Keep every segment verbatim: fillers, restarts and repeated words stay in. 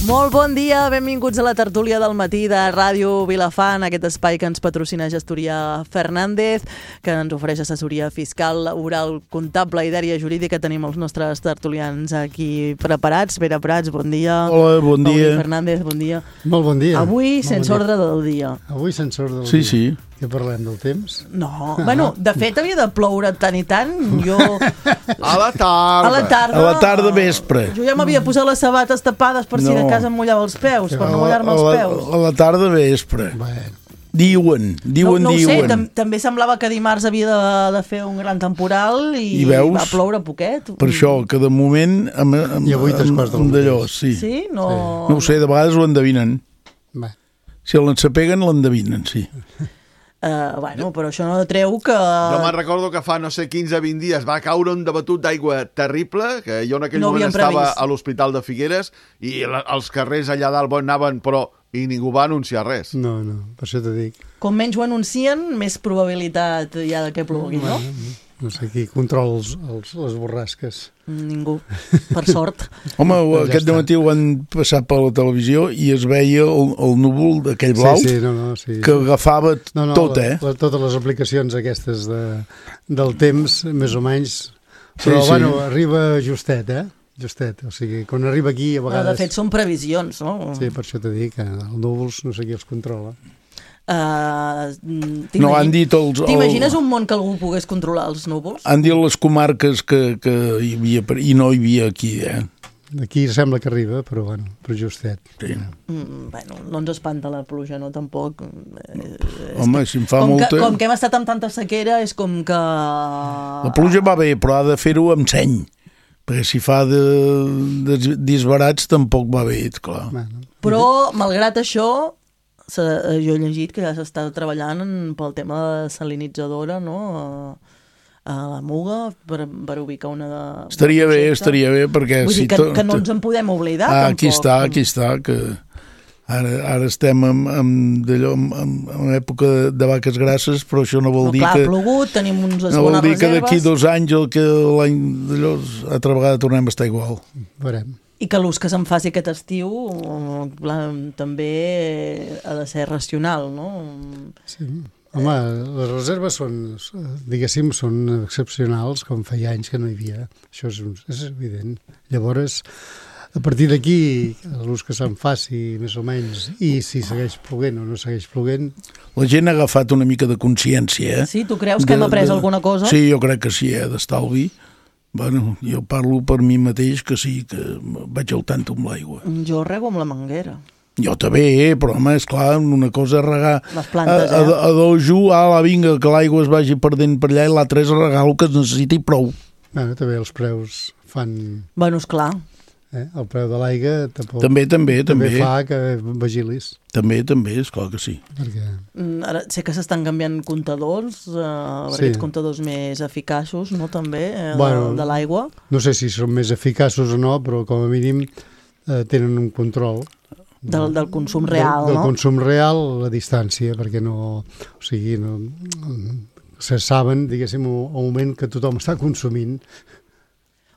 Molt bon dia, benvinguts a la tertúlia del matí de Ràdio Vilafant, aquest espai que ens patrocina Gestoria Fernández, que ens ofereix assessoria fiscal, laboral, comptable i d'àrea jurídica. Tenim els nostres tertulians aquí preparats. Pere Prats, bon dia. Hola, bon dia. Pauli Fernández, bon dia. Molt bon dia. Avui sense ordre del dia. Avui sense ordre del sí, dia. Sí, sí. Que parlem del temps? No, ah. bueno, de fet havia de ploure tant i tant. Jo... A la tarda. A la tarda. A la tarda vespre. Jo ja m'havia posat les sabates tapades per si No. de casa em mullava els peus, per no A mullar-me els la, peus. a la tarda vespre. Bueno. Diuen, diuen, no, no ho sé, diuen. tam també semblava que dimarts havia de, de fer un gran temporal i, I veus? va ploure poquet. Per això, que de moment... Amb, amb, I avui tres quarts del d'allò, mateix. sí. Sí? No... No ho sé, de vegades ho endevinen. Bé. Si l'ensapeguen, l'endevinen, sí. Uh, bueno, però això no treu que... Jo me'n recordo que fa, no sé, quinze a vint dies va caure un debatut d'aigua terrible, que jo en aquell No moment havíem estava previst. a l'Hospital de Figueres i la, els carrers allà dalt anaven, però i ningú va anunciar res. No, no, per això t'ho dic. Com menys ho anuncien, més probabilitat hi ha de que plogui, no? No sé qui controla els, els, les borrasques. Ningú, per sort. Home, Ja aquest està. dematí ho van passar per la televisió i es veia el, el núvol d'aquell blau Sí, sí, no, no, sí. que agafava no, no, tot, la, eh? La, totes les aplicacions aquestes de, del temps, més o menys. Però, Sí, sí. bueno, arriba justet, eh? Justet, o sigui, quan arriba aquí a Però, vegades... de fet, són previsions, no? Sí, per això t'ho dic, que els núvols no sé qui els controla. Uh, No, han dit els... T'imagines un món que algú pogués controlar els núvols? Han dit les comarques que, que hi havia, i no hi havia aquí, eh? Aquí sembla que arriba, però, bueno, però justet. Sí. Mm, bueno, no ens espanta la pluja, no, tampoc. Eh, Home, si em fa com, molta... que, com que hem estat amb tanta sequera, és com que... La pluja va bé, però ha de fer-ho amb seny, perquè si fa de, de disbarats tampoc va bé, clar. Bueno, Però, malgrat això, se, jo he llegit que ja s'està treballant en, pel tema de salinitzadora, no?, a, a la Muga, per, per ubicar una de... Estaria un bé, projecte. estaria bé, perquè... Vull si dir que, to- que no ens en podem oblidar, Ah, tampoc. aquí està, aquí està, que ara, ara estem en, en, d'allò, en, en època de vaques grasses, però això no vol No, dir clar, que... ha plogut, tenim uns No vol bones dir que d'aquí reserves, dos anys el que l'any d'allò, altra vegada tornem a estar igual. veurem. i que l'ús que se'n faci aquest estiu clar, també ha de ser racional, no? Sí. Home, les reserves són, diguéssim, són excepcionals, com feia anys que no hi havia. Això és, un, és evident. Llavors, a partir d'aquí, l'ús que se'n faci, més o menys, i si segueix ploguent o no segueix ploguent... La gent ha agafat una mica de consciència, eh? Sí, tu creus que De- hem après de- alguna cosa? Sí, jo crec que sí, eh, d'estalvi. Bueno, jo parlo per mi mateix, que sí, que vaig al tanto amb l'aigua. Jo rego amb la manguera. Jo també, eh, però home, esclar, una cosa és regar Les plantes, a, a, eh? a dojo, ala, vinga, que l'aigua es vagi perdent per allà, i l'altre és regar el que es necessita i prou. Bueno, també els preus fan... Bueno, esclar. Eh? El preu de l'aigua tampoc... També, també, també. també fa que vigilis. També, també, esclar que sí. Perquè... Mm, Ara sé que s'estan canviant comptadors, eh, Sí. aquests comptadors més eficaços, no, també, eh, Bueno. de, de l'aigua. No sé si són més eficaços o no, però com a mínim eh, tenen un control Del, del consum real, del, del no? consum real a la distància, perquè no, o sigui, no, se saben, diguéssim, al moment que tothom està consumint.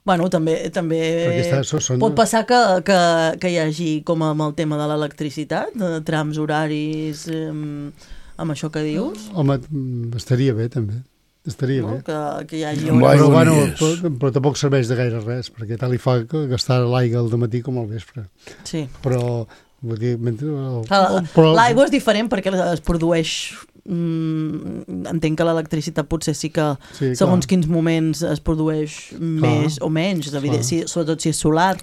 Bueno, també, també Perquè està- so- són- pot passar que, que, que hi hagi, com amb el tema de l'electricitat, de trams horaris, eh, amb això que dius, Home, mm, estaria bé, també. Estaria no? bé. que, que hi hagi Amb hores... l'aigua Però, bueno, no hi és. però, però tampoc serveix de gaire res, perquè tal li fa que gastar l'aigua al dematí com al vespre. Sí. Però, vull dir, mentre... El, Clar, però- L'aigua és diferent perquè es produeix... Mm, entenc que l'electricitat potser sí que Sí, segons clar. quins moments es produeix més o menys, evident, si, sobretot si és solar.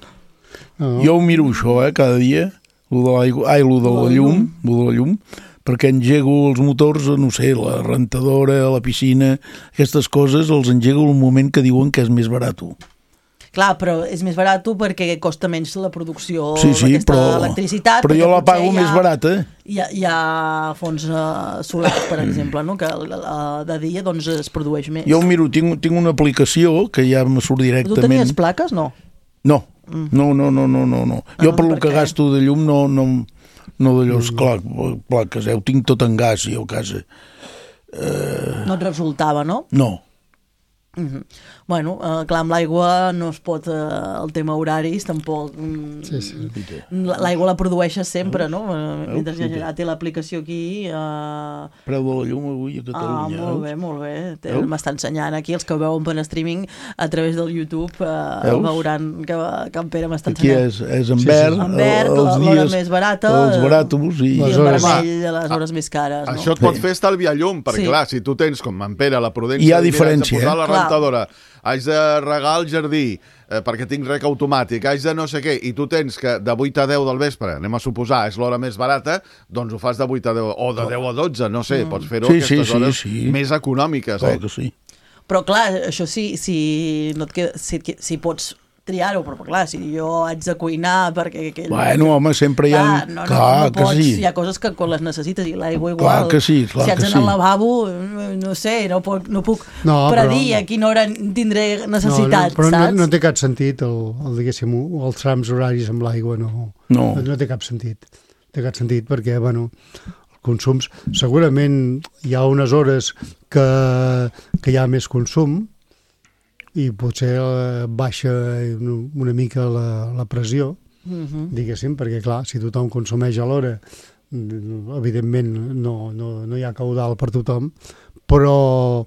No, Jo ho miro això, eh, cada dia, lo de l'aigua, ai, lo de la llum, lo de la llum, perquè engego els motors, no sé, la rentadora, la piscina, aquestes coses els engego en un moment que diuen que és més barat. Clar, però és més barat perquè costa menys la producció Sí, sí, d'aquesta però, electricitat. però perquè jo la potser pago hi ha- més barata. Hi ha, hi ha fons uh, solars, per exemple, no? que uh, de dia doncs, es produeix més. Jo ho miro, tinc, tinc una aplicació que ja me surt Tu directament. tenies plaques? No. No, no, no, no, no, no. no. Ah, Jo no, per lo per que què? gasto de llum no, no, no d'allò, esclar, plaques, eh? Ho tinc tot en gas, jo a casa. No et resultava, no? No, Mm-hmm. Bueno, uh, clar, amb l'aigua no es pot, uh, el tema horaris tampoc, mm, Sí, sí. l'aigua la produeixes sempre, no? Uh, mentre sí, ja té l'aplicació aquí... Uh... Preu de la llum avui a Catalunya. Ah, molt bé, molt bé. M'està ensenyant aquí, els que ho veuen per streaming a través del YouTube, uh, veuran que, que en Pere m'està ensenyant. Aquí és, és en verd, sí, sí. En verd, els l'hora dies, més barata, els baràtoms i, i les el hores. vermell, les hores més cares. No? Això et pot fer estalviar llum, perquè Sí. clar, si tu tens, com en Pere, la prudència... Hi ha de dir, diferència, haig de posar eh? la Clar. rentadora, haig de regar el jardí, eh, perquè tinc rec automàtic, haig de no sé què, i tu tens que de vuit a deu del vespre, anem a suposar, és l'hora més barata, doncs ho fas de vuit a deu, o de deu a dotze, no sé, mm. pots fer-ho Sí, aquestes sí, sí, hores sí. més econòmiques, Clar eh? que sí. Però clar, això sí, si, no et queda, si, et, si pots triar-ho, però clar, si jo haig de cuinar perquè... Aquell... Bueno, home, sempre hi ha... Clar, no, no, clar no pots, que sí. hi ha coses que quan les necessites i l'aigua igual. Clar que sí, clar si haig que d'anar sí. al lavabo, no sé, no puc, no puc No, predir però- a quina hora tindré necessitat, no, no, però saps? no, no té cap sentit el, el, diguéssim, els trams horaris amb l'aigua, no, No. no té cap sentit. Té cap sentit perquè, bueno, consums, segurament hi ha unes hores que, que hi ha més consum i potser eh, baixa una mica la, la pressió, Mhm. diguéssim, perquè clar, si tothom consumeix a l'hora, evidentment no, no, no hi ha caudal per tothom, però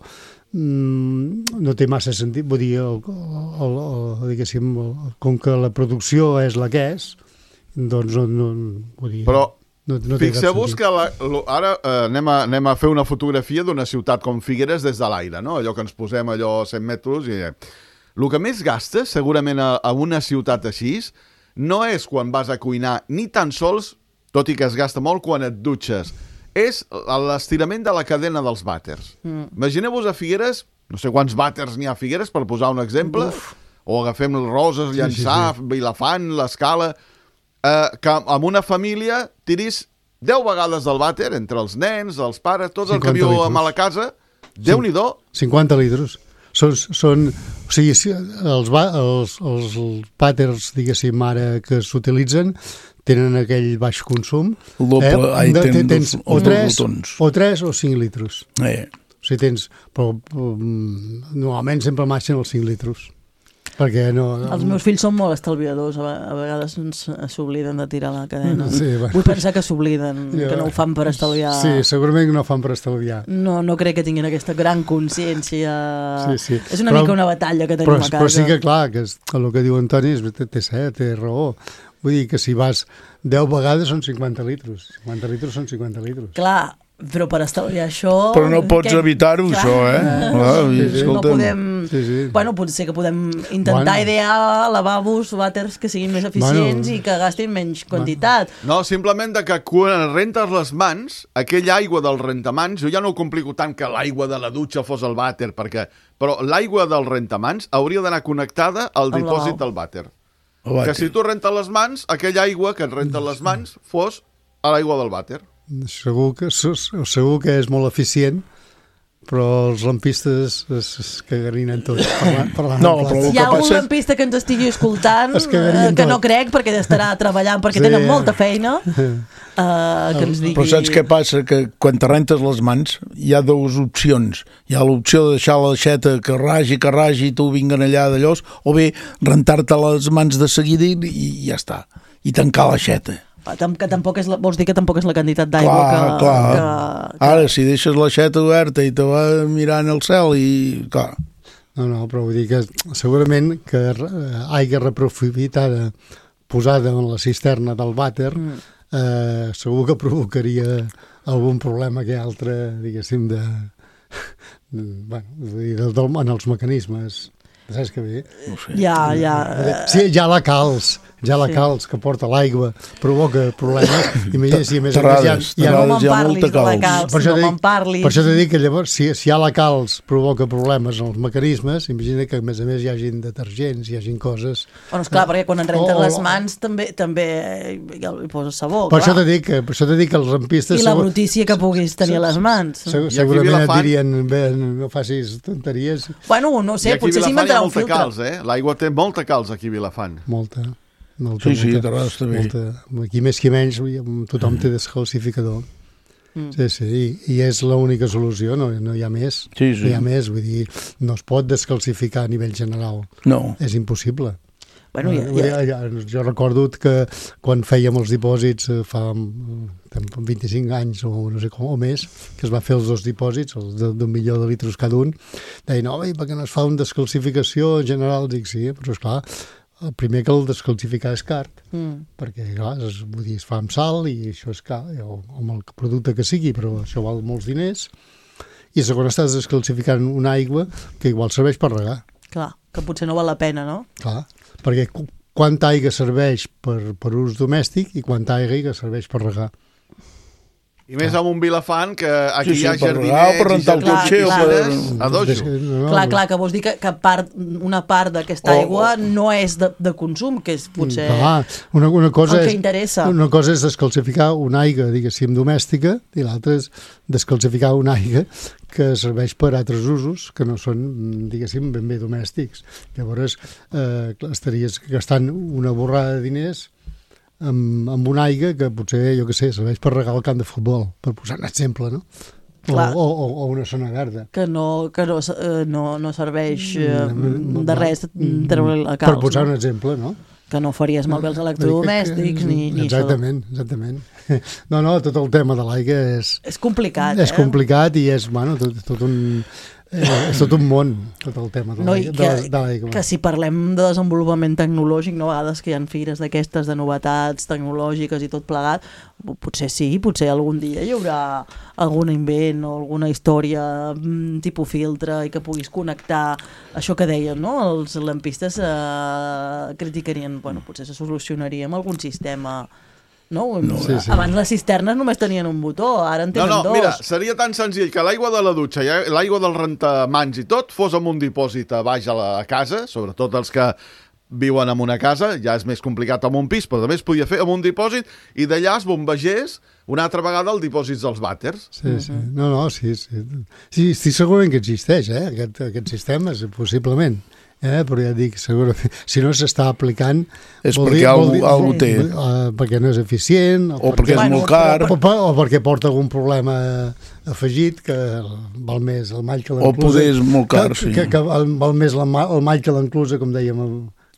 mm, no té massa sentit, vull dir, el, el, el, diguéssim, el, com que la producció és la que és, doncs no, no vull dir... Però no, no té cap fixeu-vos sentit. que la, lo, ara eh, anem, a, anem a fer una fotografia d'una ciutat com Figueres des de l'aire, no? Allò que ens posem allò a cent metres i... El que més gastes, segurament, a, a una ciutat així, no és quan vas a cuinar, ni tan sols, tot i que es gasta molt quan et dutxes, és l'estirament de la cadena dels vàters. Mm. Imagineu-vos a Figueres, no sé quants vàters n'hi ha a Figueres, per posar un exemple, Uf. o agafem Roses, Llançà, sí, sí, sí. Vilafant, l'Escala, eh, que amb una família tiris deu vegades del vàter, entre els nens, els pares, tots el que viu a la casa, Déu-n'hi-do. cinquanta litres. Són, són, o sigui, els, els, els vàters, diguéssim, ara que s'utilitzen, tenen aquell baix consum. El doble, eh? ai, de, tens tens dos, o, tres, tons. o tres o cinc litres. Eh. O sigui, tens... Però, um, normalment sempre marxen els cinc litres. Perquè no... Els meus fills són molt estalviadors, a, a vegades s'obliden de tirar la cadena. Sí, bueno. Vull pensar que s'obliden, Ja. que no ho fan per estalviar. Sí, segurament que no ho fan per estalviar. No, no crec que tinguin aquesta gran consciència. Sí, sí. És una però, mica una batalla que tenim però, a casa. Però sí que, clar, que és, el que diu Antoni és, té, té, té raó. Vull dir que si vas deu vegades són cinquanta litres. cinquanta litres són cinquanta litres. Clar, però per estalviar això... Però no pots que... evitar-ho, Clar. això, eh? Clar, Sí, sí. No podem... Sí, sí. Bueno, potser que podem intentar Bueno. idear lavabos, vàters que siguin més eficients Bueno. i que gastin menys quantitat. No, simplement de que quan rentes les mans, aquella aigua del rentamans, jo ja no ho complico tant que l'aigua de la dutxa fos el vàter, perquè... però l'aigua del rentamans hauria d'anar connectada al Amb la dipòsit lavabo. del vàter. El vàter. Que si tu rentes les mans, aquella aigua que et renten les mans fos a l'aigua del vàter. Segur que, segur que és molt eficient, però els lampistes es, es cagarinen tots parlant, parlant No, en plat. però- Si el hi ha que algun passa- lampista que ens estigui escoltant, Es cagarien eh, que no tot. crec, perquè estarà treballant, perquè Sí. tenen molta feina, eh, que ens digui... Però saps què passa? Que quan te rentes les mans hi ha dues opcions. Hi ha l'opció de deixar la xeta que ragi, que ragi, i tu vinguen allà d'allòs, o bé rentar-te les mans de seguida i, i ja està. I tancar la xeta. Ah, tam- que tampoc és la, vols dir que tampoc és la quantitat d'aigua Clar, que, clar. que, que... Ara, si deixes la xeta oberta i te va mirant el cel i... Clar, No, no, però vull dir que segurament que eh, aigua reprofitada posada en la cisterna del vàter Mm. eh, segur que provocaria algun problema que altre, diguéssim, de, de, bueno, vull dir, del, del, en els mecanismes. Saps què bé? no ho sé. Ja, ja... Sí, ja la calç, ja la Sí. calç que porta l'aigua provoca problemes. Imagina si a més a més hi ha, Terrades, hi ha, No terrades. me'n hi ha parlis molta de la calç. calç, per això no t'he me'n dit- parlis. per això t'he dit que llavors, si, si hi ha la calç provoca problemes en els mecanismes, imagina que a més a més hi hagin detergents, hi hagin coses... Bueno, esclar, perquè quan en rentes O- o- les mans també també hi poses sabó, Per això clar. t'he dit que, per això t'he dit que els rampistes... I la segur- brutícia que puguis tenir a les mans. segur- I aquí segurament et Vilafant- dirien, bé, no facis tonteries. Bueno, no I sé, aquí a potser Vilafant hi ha s'inventarà un molta filtre. calç, eh? L'aigua té molta calç aquí a Vilafant. Molta, molta, Sí, sí, molta, Terrades també. molta. Aquí més que menys tothom té descalcificador. Mm. Sí, sí, i, i és l'única solució, no, no hi ha més. Sí, sí. No hi ha més, vull dir, no es pot descalcificar a nivell general. No. És impossible. Bueno, ja, ja... Ja, jo recordo que quan fèiem els dipòsits fa vint-i-cinc anys o no sé com, o més, que es va fer els dos dipòsits, els d'un milió de litres cada un, deien, no, per què no es fa una descalcificació general? Dic, sí, però esclar, el primer que el descalcificar és car, mm. perquè clar, es, vull dir, es fa amb sal i això és car, o amb el producte que sigui, però això val molts diners, i segon estàs descalcificant una aigua que igual serveix per regar. Clar, que potser no val la pena, no? Clar, perquè quanta aigua serveix per, per ús domèstic i quanta aigua serveix per regar. I més amb un Vilafant, que aquí sí, sí, hi ha per jardinets... regar, per rentar el cotxe o per... A dojo. No, clar, clar, que vols dir que, que part, una part d'aquesta aigua oh, oh. no és de, de consum, que és potser clar, una, una cosa el que és, interessa. Una cosa és descalcificar una aigua, diguéssim, domèstica, i l'altra és descalcificar una aigua que serveix per altres usos que no són, diguéssim, ben bé domèstics. Llavors, eh, estaries gastant una borrada de diners amb, amb una aigua que potser, jo què sé, serveix per regar el camp de futbol, per posar un exemple, no? O, o, o una zona verda. Que no, que no, no, no serveix eh, de res treure la calç. Per posar no? un exemple, no? Que no faries malbé els electrodomèstics ni, ni exactament, això. Exactament, exactament. No, no, tot el tema de l'aigua és... És complicat, és eh? És complicat i és, bueno, tot, tot un... Eh, és tot un món, tot el tema de no, l'aigua. Que, que si parlem de desenvolupament tecnològic, no, a vegades que hi ha fires d'aquestes de novetats tecnològiques i tot plegat, potser sí, potser algun dia hi haurà algun invent o alguna història tipus filtre i que puguis connectar això que deien, no? Els lampistes eh, criticarien, bueno, potser se solucionaria amb algun sistema... No? no sí, sí. Abans les cisternes només tenien un botó, ara en tenen no, no, dos. Mira, seria tan senzill que l'aigua de la dutxa i l'aigua del rentamans i tot fos amb un dipòsit a baix a la casa, sobretot els que viuen en una casa, ja és més complicat amb un pis, però també es podia fer amb un dipòsit i d'allà es bombegés una altra vegada el dipòsit dels vàters. Sí, sí. No, no, sí, sí. Sí, estic segurament que existeix, eh, aquest, aquest sistema, possiblement. Eh, però ja dic, segurament, si no s'està aplicant... És perquè algú, algú té. Uh, perquè no és eficient... O, o perquè, perquè és bueno, molt car... O, o, o perquè porta algun problema afegit, que val més el mall que l'enclusa... O poder és molt car, que, sí. Que, que val més el mall que l'enclusa, com dèiem,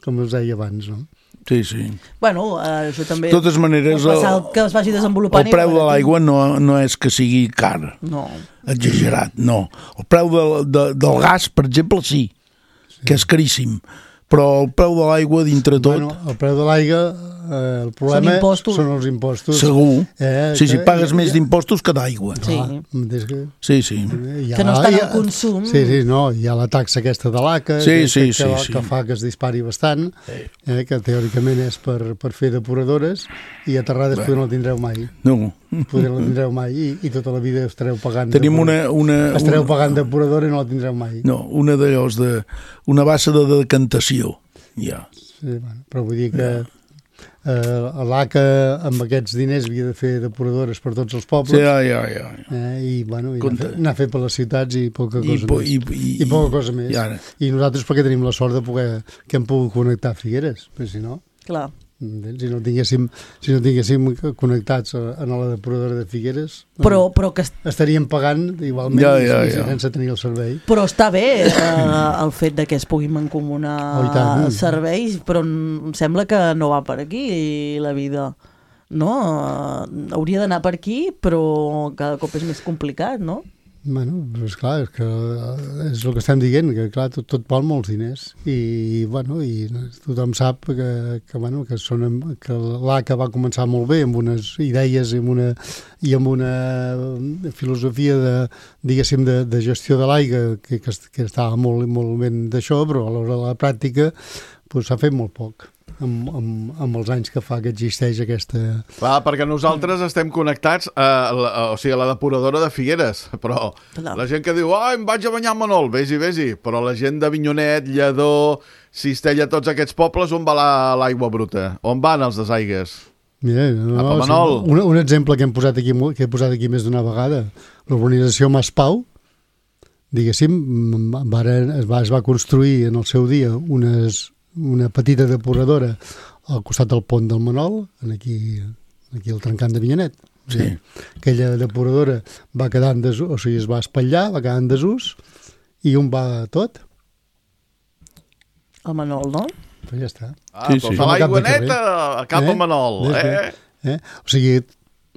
com us deia abans, no? Sí, sí. Bueno, eh, això també... De totes maneres, el, que es vagi desenvolupant... El preu de l'aigua no, no és que sigui car. No. Exagerat, no. El preu de, de, del gas, per exemple, sí. Que és caríssim, però el preu de l'aigua dintre tot... Bueno, el preu de l'aigua, eh, el problema són, són els impostos. Segur. Eh, sí, sí, que, pagues ja, més d'impostos que d'aigua. Sí. Que, sí, sí. Ha, que no està en el consum. Sí, sí, no, hi ha la taxa aquesta de l'A C A, sí, que, sí, que, sí, que, sí. que fa que es dispari bastant, sí. eh, que teòricament és per, per fer depuradores, i a Terrades bueno. no la tindreu mai. No. Poder la tindreu mai, i, i tota la vida estareu pagant... Tenim una... una estareu una... pagant depuradora i no la tindreu mai. No, una d'allòs, de, una bassa de decantació, ja. Sí, bueno, però vull dir que eh, l'A C A amb aquests diners havia de fer depuradores per tots els pobles. Sí, ja, ja, ja. Eh, I, bueno, i anar, anar a fer per les ciutats i poca cosa I, po, més. I, i, I poca cosa més. I, I nosaltres perquè tenim la sort de poder que hem pogut connectar Figueres, però si no... Clar. Si no tinguéssim, si no tinguéssim connectats a, a la depuradora de Figueres, però, però que estaríem pagant igualment ja, ja, ja. sense tenir el servei. Però està bé eh, el fet de que es puguin mancomunar oh, serveis, però em sembla que no va per aquí la vida. No? Hauria d'anar per aquí, però cada cop és més complicat, no? Bueno, és clar, és, que és el que estem dient, que clar, tot, tot val molts diners i, bueno, i tothom sap que, que, bueno, que, són, que l'A C A va començar molt bé amb unes idees i amb una, i amb una filosofia de, diguéssim, de, de gestió de l'aigua que, que, que estava molt, molt ben d'això, però a l'hora de la pràctica pues, s'ha fet molt poc. Amb, amb, amb els anys que fa que existeix aquesta... Clar, perquè nosaltres estem connectats a la, a, o sigui, a la depuradora de Figueres, però Clar. La gent que diu oh, em vaig a banyar a Manol, vés-hi, vés-hi, però la gent de Vinyonet, Lledó, Cistella, tots aquests pobles, on va l'aigua bruta? On van els desaigues? Mira, no, a Manol. Un, un exemple que hem posat aquí, que he posat aquí més d'una vegada, l'urbanització Maspau, diguéssim, es va, es va construir en el seu dia unes... una petita depuradora al costat del pont del Manol, aquí, aquí al trencant de Vinyanet. Sí. Aquella depuradora va quedar en desús, o sigui, es va espatllar, va quedar en desús, i un va tot. El Manol, no? Però ja està. Ah, Sí, però sí. fa l'aigua Com a cap de neta a cap Eh? a Manol. Des de- Eh? Eh? O sigui,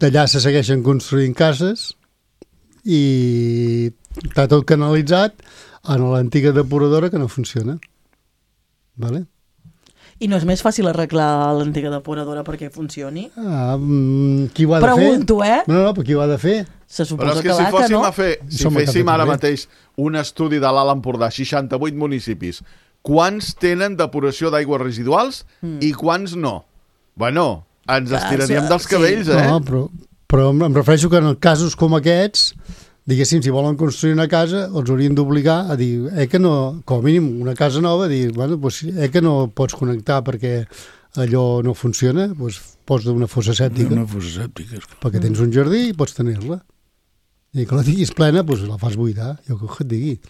d'allà se segueixen construint cases i està tot canalitzat en l'antiga depuradora que no funciona. Vale? I no és més fàcil arreglar l'antiga depuradora perquè funcioni? Ah, mm, qui ho ha de fer? Pregunto, eh? No, no, però qui ho ha de fer? Se Però suposa és que que si va, que fóssim no? a fer, si Som a féssim cap de ara carrer. mateix un estudi de l'Alt Empordà, seixanta-vuit municipis, quants tenen depuració d'aigües residuals Mm. i quants no? Bueno, ens Clar, estiraríem sí. dels cabells, eh? No, però, però em em refereixo que en casos com aquests, diguéssim, si volen construir una casa, els haurien d'obligar a dir, eh que no, com a mínim una casa nova, a dir, bueno, doncs, eh que no pots connectar perquè allò no funciona, doncs pots d'una fossa sèptica, Una fossa sèptica. perquè tens un jardí i pots tenir-la. I que la tinguis plena, doncs la fas buidar, jo que et digui.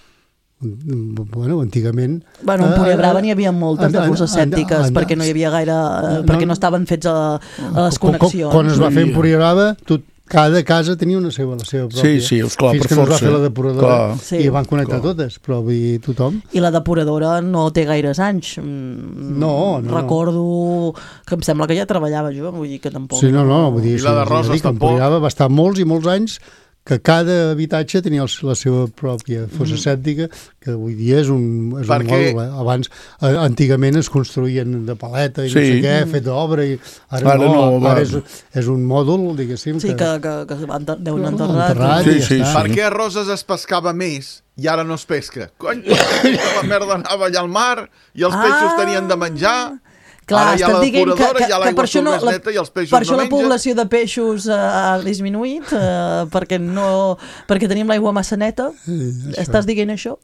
Bueno, antigament... Bueno, en eh, Púria Brava n'hi havia moltes de en- fosses en- sèptiques en- perquè no hi havia gaire... eh, No, perquè no. no estaven fets a, a les Quan- connexions. Quan es va fer en Sí. Púria Brava, tot, cada casa tenia una seva, la seva pròpia. Sí, sí, esclar, Fins per que no es va força. fer la depuradora Clar. Sí. i van connectar Clar. totes, però vull dir, tothom... I la depuradora no té gaires anys. Mm, No, no, no. Recordo que em sembla que ja treballava jo, vull dir que tampoc... Sí, no, no, vull dir, I la de sí, Roses ja dic, en tampoc. Púria Brava va estar molts i molts anys que cada habitatge tenia el, la seva pròpia fossa Mm. sèptica, que avui dia és un, és Perquè- un mòdul. Eh? Abans, eh, antigament es construïen de paleta i no Sí. sé què, fet d'obra, i ara, Ara no, no, ara va. és, és un mòdul, diguéssim, Sí, que, que, que van enter- deuen No, enterrar. enterrat Sí, i ja sí, està. Per què a Roses es pescava més i ara no es pesca? Cony, la merda anava allà al mar i els Ah. peixos tenien de menjar. Clar, Ara hi ha estàs la dient que, depuradora, que, hi ha que l'aigua per això, no, surt més la, neta i els peixos per això no la mengen. població de peixos eh, ha disminuït, eh, perquè, no, perquè tenim l'aigua massa neta. Sí, això. Estàs dient això?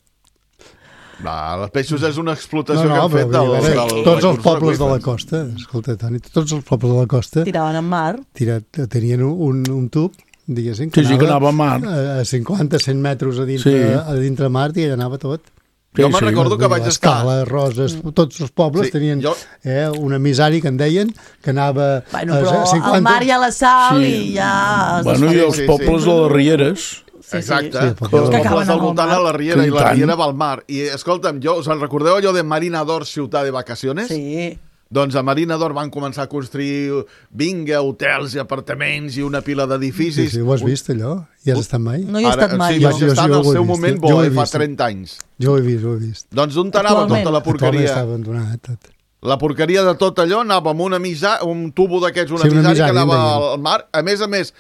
No, els peixos és una explotació No, no, que han però fet vull del, dir, a del, veure, tots els recurs pobles de la aqüífer. costa, escolta, Toni, tots els pobles de la costa Tiraven en mar. tirat, tenien un, un tub, diguéssim, Sí, sí, que anava a mar. a a cinquanta cent metres a dintre, Sí. a dintre mar i allà anava tot. Jo Sí, me'n sí. recordo que vaig estar... Escala, Roses, tots els pobles Sí, tenien jo- eh, un emissari que en deien que anava Bueno, a però cinquanta... al mar hi ha la sal Sí. i ja... es Bueno, desfà. i els sí, pobles sí. de les Rieres. Sí, Exacte, sí, sí, perquè els que acaben pobles del al voltant mar. a la Riera Que i i la tant. Riera va al mar. I escolta'm, jo, us en recordeu allò de Marina d'Or, ciutat de vacaciones? Sí. Doncs a Marina d'Or van començar a construir vinga, hotels i apartaments i una pila Sí, d'edificis. sí, ho has vist, allò? Hi has estat mai? No hi he estat mai, sí, jo. vaig estar en Jo- el jo ho he seu vist, moment jo- jo ho bo, he eh, fa vist. trenta anys. Jo ho he vist, ho he vist. Doncs on anava Actualment. tota la Actualment està porqueria? abandonat tot. La porqueria de tot allò anava amb una misa, un tubo d'aquests, un Sí, un emissari que emissari, anava en deien. al mar. A més a més,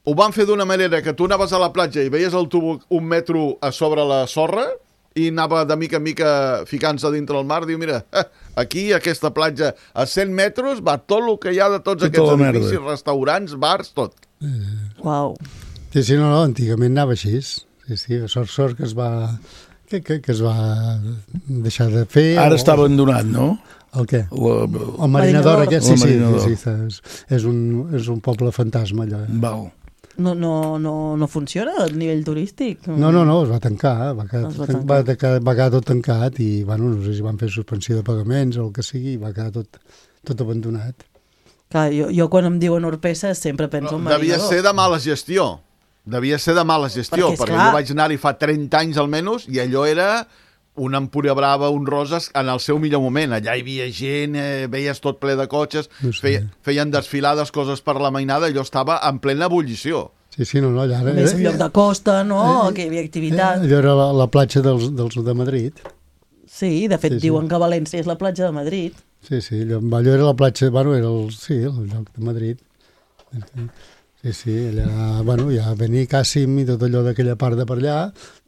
ho van fer d'una manera que tu anaves a la platja i veies el tubo un metro a sobre la sorra i anava de mica en mica ficant-se dintre el mar. Diu, mira, aquí, aquesta platja, a cent metres, va tot el que hi ha de tots Tota aquests la merda. edificis, restaurants, bars, tot. Uau. Sí, sí, no, no, antigament anava així. Sí, sí, sort, sort que es va... Que, que, que es va deixar de fer. Ara o- està abandonat, no? El què? La, El Marinador, Marinador. aquest, El sí, sí, Marinador. sí, sí, és, és, un, és un poble fantasma, allò. Eh? val. No, no, no, no funciona a nivell turístic? No, no, no, es va tancar, va quedar, Es va tot, tancar. va, tancar, va quedar tot tancat i, bueno, no sé si van fer suspensió de pagaments o el que sigui, i va quedar tot, tot abandonat. Clar, jo, jo quan em diuen Orpesa sempre penso en Devia Marinador. ser de mala gestió. Devia ser de mala gestió, Perquè, perquè, esclar- jo vaig anar-hi fa trenta anys almenys i allò era una Empúria Brava, un Roses en el seu millor moment. Allà hi havia gent, eh, veies tot ple de cotxes, No sé. feia, feien desfilades, coses per la mainada, allò estava en plena ebullició. Sí, sí, no, no, allà... A més, un lloc de costa, no? Que hi havia Eh, activitat. allò era la, la platja dels, dels de Madrid. Sí, de fet, Sí, sí. diuen que València és la platja de Madrid. Sí, sí, allò, allò era la platja, bueno, era el, sí, el lloc de Madrid. Sí, sí, allà, bueno, ja Benicàssim i tot allò d'aquella part de per allà,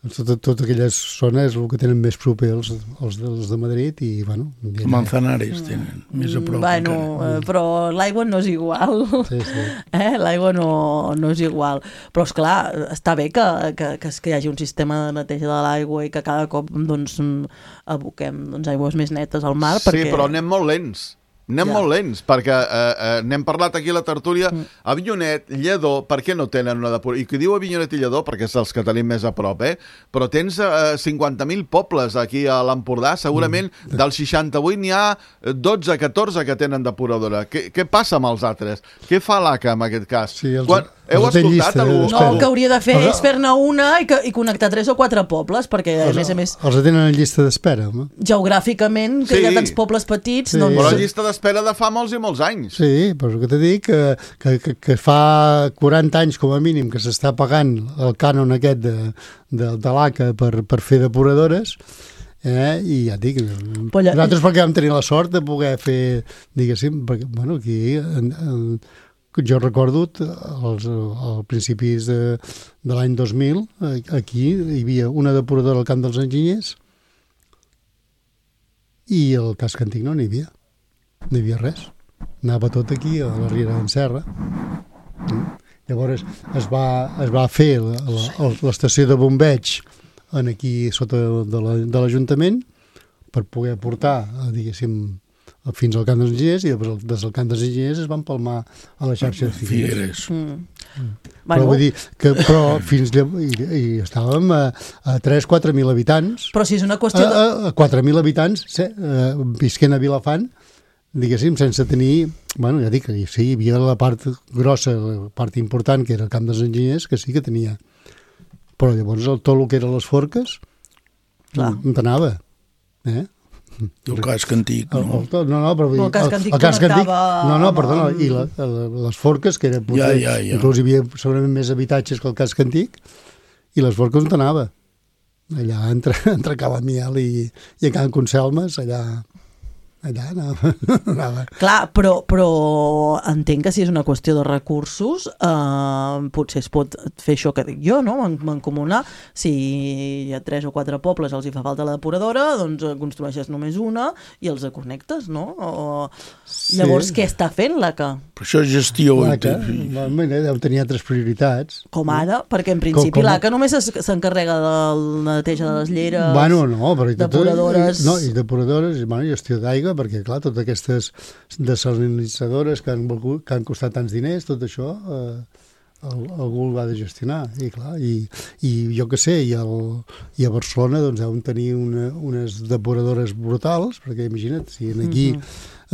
doncs tot, tot aquelles zones el que tenen més proper els, els, dels de Madrid i, bueno... i allà- Manzanares tenen, més a prop bueno, encara. eh, però l'aigua no és igual. Sí, sí. Eh? L'aigua no, no és igual. Però, és clar, està bé que, que, que, que hi hagi un sistema de neteja de l'aigua i que cada cop doncs, aboquem doncs, aigües més netes al mar. Sí, perquè... però anem molt lents. Anem Ja. molt lents, perquè eh, eh, n'hem parlat aquí a la tertúlia. Mm. Avinyonet, Lledó, per què no tenen una depuració? I qui diu Avinyonet i Lledó, perquè és els que tenim més a prop, eh? Però tens eh, cinquanta mil pobles aquí a l'Empordà, segurament mm. dels seixanta-vuit n'hi ha dotze catorze que tenen depuradora. Què, què passa amb els altres? Què fa l'A C A en aquest cas? Sí, els, Quan... Heu Els de escoltat llista algú? No, el que hauria de fer Els- és fer-ne una i, que, i connectar tres o quatre pobles, perquè a Els, més a més, els tenen en llista d'espera, home. geogràficament, que Sí. hi ha tants pobles petits, Sí. doncs... Però la llista d'espera de fa molts i molts anys. Sí, però el que t'he dit, que, que, que, que fa quaranta anys com a mínim que s'està pagant el cànon aquest de, de, de l'A C A per, per fer depuradores, eh? I ja et dic, Però allà- nosaltres perquè vam tenir la sort de poder fer, diguéssim, perquè, bueno, aquí en, en, jo recordo als, als principis de, de l'any dos mil, aquí hi havia una depuradora al Camp dels Enginyers i el casc antic no n'hi havia, no hi havia res. Anava tot aquí a la Riera d'en Serra. Mm. Llavors es va, es va fer la- la- l'estació de bombeig en aquí sota de la- de l'Ajuntament per poder portar, eh, diguéssim, fins al Camp dels Enginyers, i després des del Camp dels Enginyers es van palmar a la xarxa de Figueres. Figueres. Mm. Però Bueno, vull dir que però fins llav- i, i estàvem a, a tres a quatre mil habitants. però si és una A, qüestió de... a, a quatre mil habitants se, eh, visquent a Vilafant, diguéssim, sense tenir... Bueno, ja dic que sí, hi havia la part grossa, la part important, que era el Camp dels Enginyers, que sí que tenia. Però llavors el, tot el que eren les forques Clar. no t'anava. Eh? El casc antic, El, no? el, tot- no, no, però vull dir, El casc antic el casc antic, connectava no, no, amb- perdona, amb- i la, la, les forques, que era potser, Ja, ja, ja. inclús hi havia segurament més habitatges que el casc antic, i les forques on t'anava? Allà entre, entre Cala Miel i, i a Can Conselmes, allà, allà anava. anava. Clar, però, però entenc que si és una qüestió de recursos, eh, potser es pot fer això que dic jo, no? Man- mancomunar. Si hi ha tres o quatre pobles, els hi fa falta la depuradora, doncs eh, construeixes només una i els connectes, no? O... Sí. Llavors, què està fent l'A C A? Però això és gestió. L'A C A, bueno, deu tenir altres prioritats. Com ara? Perquè en principi Com- com- l'A C A només es- s'encarrega de la neteja de les lleres, Bueno, no, però i tot- depuradores... No, i depuradores, i bueno, gestió d'aigua, perquè clar, totes aquestes desalinitzadores que han, volgut- que han costat tants diners, tot això eh, el, algú el va de gestionar, i clar, i, i jo que sé, i, el, i a Barcelona doncs deuen tenir una, unes depuradores brutals, perquè imagina't, si aquí uh -huh.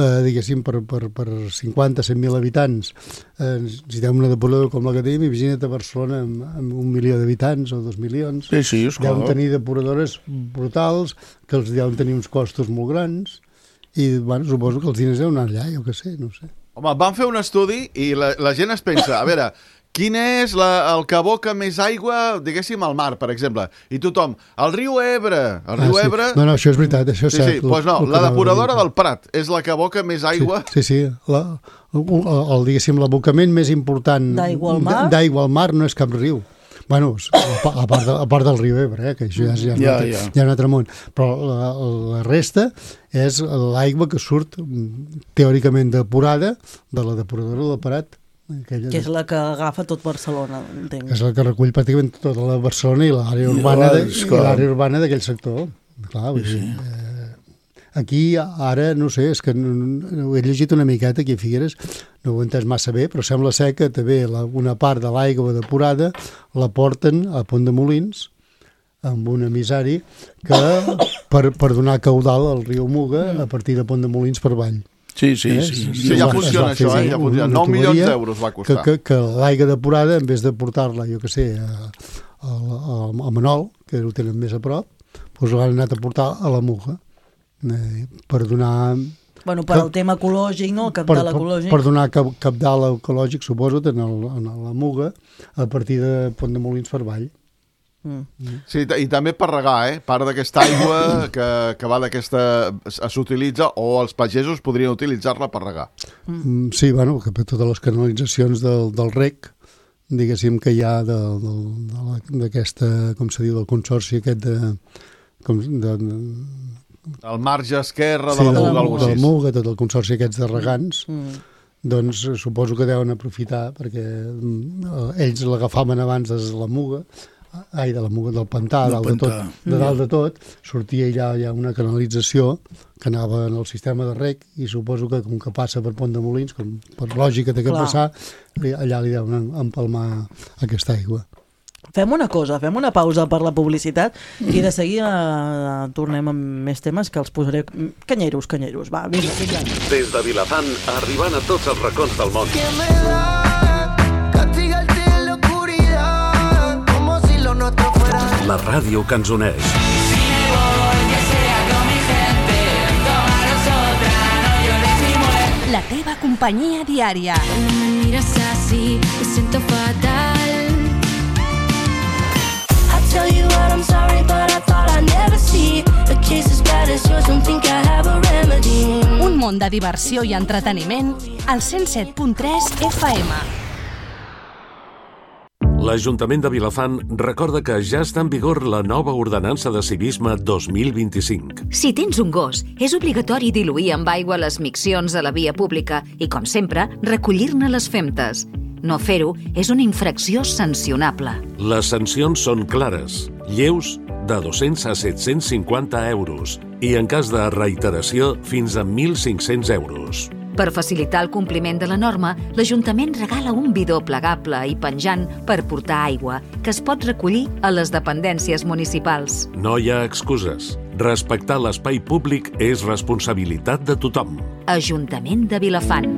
eh, diguéssim, per, per, per cinquanta a cent mil habitants eh, necessitem una depuradora com la que tenim, imagina't a Barcelona amb, amb un milió d'habitants o dos milions. Sí, sí, esclar. Deuen tenir depuradores brutals, que els deuen tenir uns costos molt grans, i bueno, suposo que els diners deuen anar allà, jo què sé, no ho sé. Home, van fer un estudi i la, la gent es pensa, a veure, quin és la, el que aboca més aigua, diguéssim, al mar, per exemple? I tothom, el riu Ebre, el riu Ah, sí. Ebre... No, no, això és veritat, això és Sí, cert. sí, doncs no, el que la anava depuradora a dir. del Prat és la que aboca més aigua. Sí, sí, sí. La, el, el, diguéssim, l'abocament més important D'aigua al mar? d'aigua al mar no és cap riu. Bueno, a pa- a part, de, a part del riu Ebre, eh, que això ja, és- ja, és un Ja, altre, ja. ja un altre món. Però la, la resta és l'aigua que surt mm, teòricament depurada de la depuradora del Prat. Aquella que és la que agafa tot Barcelona, entenc. és la que recull pràcticament tota la Barcelona i l'àrea I urbana, de, és i clar. l'àrea urbana d'aquell sector. Clar, vull dir, eh, aquí ara, no sé, és que no, no, he llegit una miqueta aquí a Figueres, no ho he entès massa bé, però sembla ser que també la, una part de l'aigua depurada la porten a Pont de Molins amb un emissari que per, per donar caudal al riu Muga a partir de Pont de Molins per avall. Sí, sí, Eh? sí. Sí, ja Es va- funciona es va això, fer eh? Ja una funciona. nou milions tuberia d'euros va Que, costar. que, que l'aigua depurada, en vez de portar-la, jo que sé, a, a, a, a Manol, que ho tenen més a prop, doncs l'han anat a portar a la Muga eh, per donar... Bueno, per al tema ecològic, no? El Per, capital per, ecològic. per donar cap, capdalt ecològic, suposo, en, el, en la Muga, a partir de Pont de Molins per avall. Mm. Sí, i ta- i també per regar, eh? Part d'aquesta aigua que, que va d'aquesta... s'utilitza, o els pagesos podrien utilitzar-la per regar. Mm. Sí, bueno, que per totes les canalitzacions del, del rec, diguéssim que hi ha de, de, de la- d'aquesta, com se diu, del consorci aquest de... Com, de, de El marge esquerre de sí, la de, Muga, de, alguna de la cosa així. Muga, tot el consorci aquests de regants, Mm. doncs eh, suposo que deuen aprofitar perquè mm, eh, ells l'agafaven abans des de la Muga, ai, de la Muga, del pantà, Del dalt de tot, pantà. de dalt de tot, sortia allà ja una canalització que anava en el sistema de rec i suposo que com que passa per Pont de Molins, com per lògica té que Clar. passar, li- allà li deuen empalmar aquesta aigua. Fem una cosa, fem una pausa per la publicitat i de seguida eh, tornem amb més temes que els posaré... Canyeros, canyeros, va, vinga, vinga. Des de Vilafant, arribant a tots els racons del món. Que me da, castiga el tiempo. La ràdio que ens uneix. La teva companyia diària. Cuando me miras así, me siento fatal. I tell you what, I'm sorry, but I thought I'd never see a case as bad as yours, don't think I have a remedy. Un món de diversió i entreteniment al cent set punt tres F M. L'Ajuntament de Vilafant recorda que ja està en vigor la nova ordenança de civisme dos mil vint-i-cinc. Si tens un gos, és obligatori diluir amb aigua les miccions a la via pública i, com sempre, recollir-ne les femtes. No fer-ho és una infracció sancionable. Les sancions són clares, lleus de dos-cents a set-cents cinquanta euros i, en cas de reiteració, fins a mil cinc-cents euros. Per facilitar el compliment de la norma, l'Ajuntament regala un bidó plegable i penjant per portar aigua, que es pot recollir a les dependències municipals. No hi ha excuses. Respectar l'espai públic és responsabilitat de tothom. Ajuntament de Vilafant.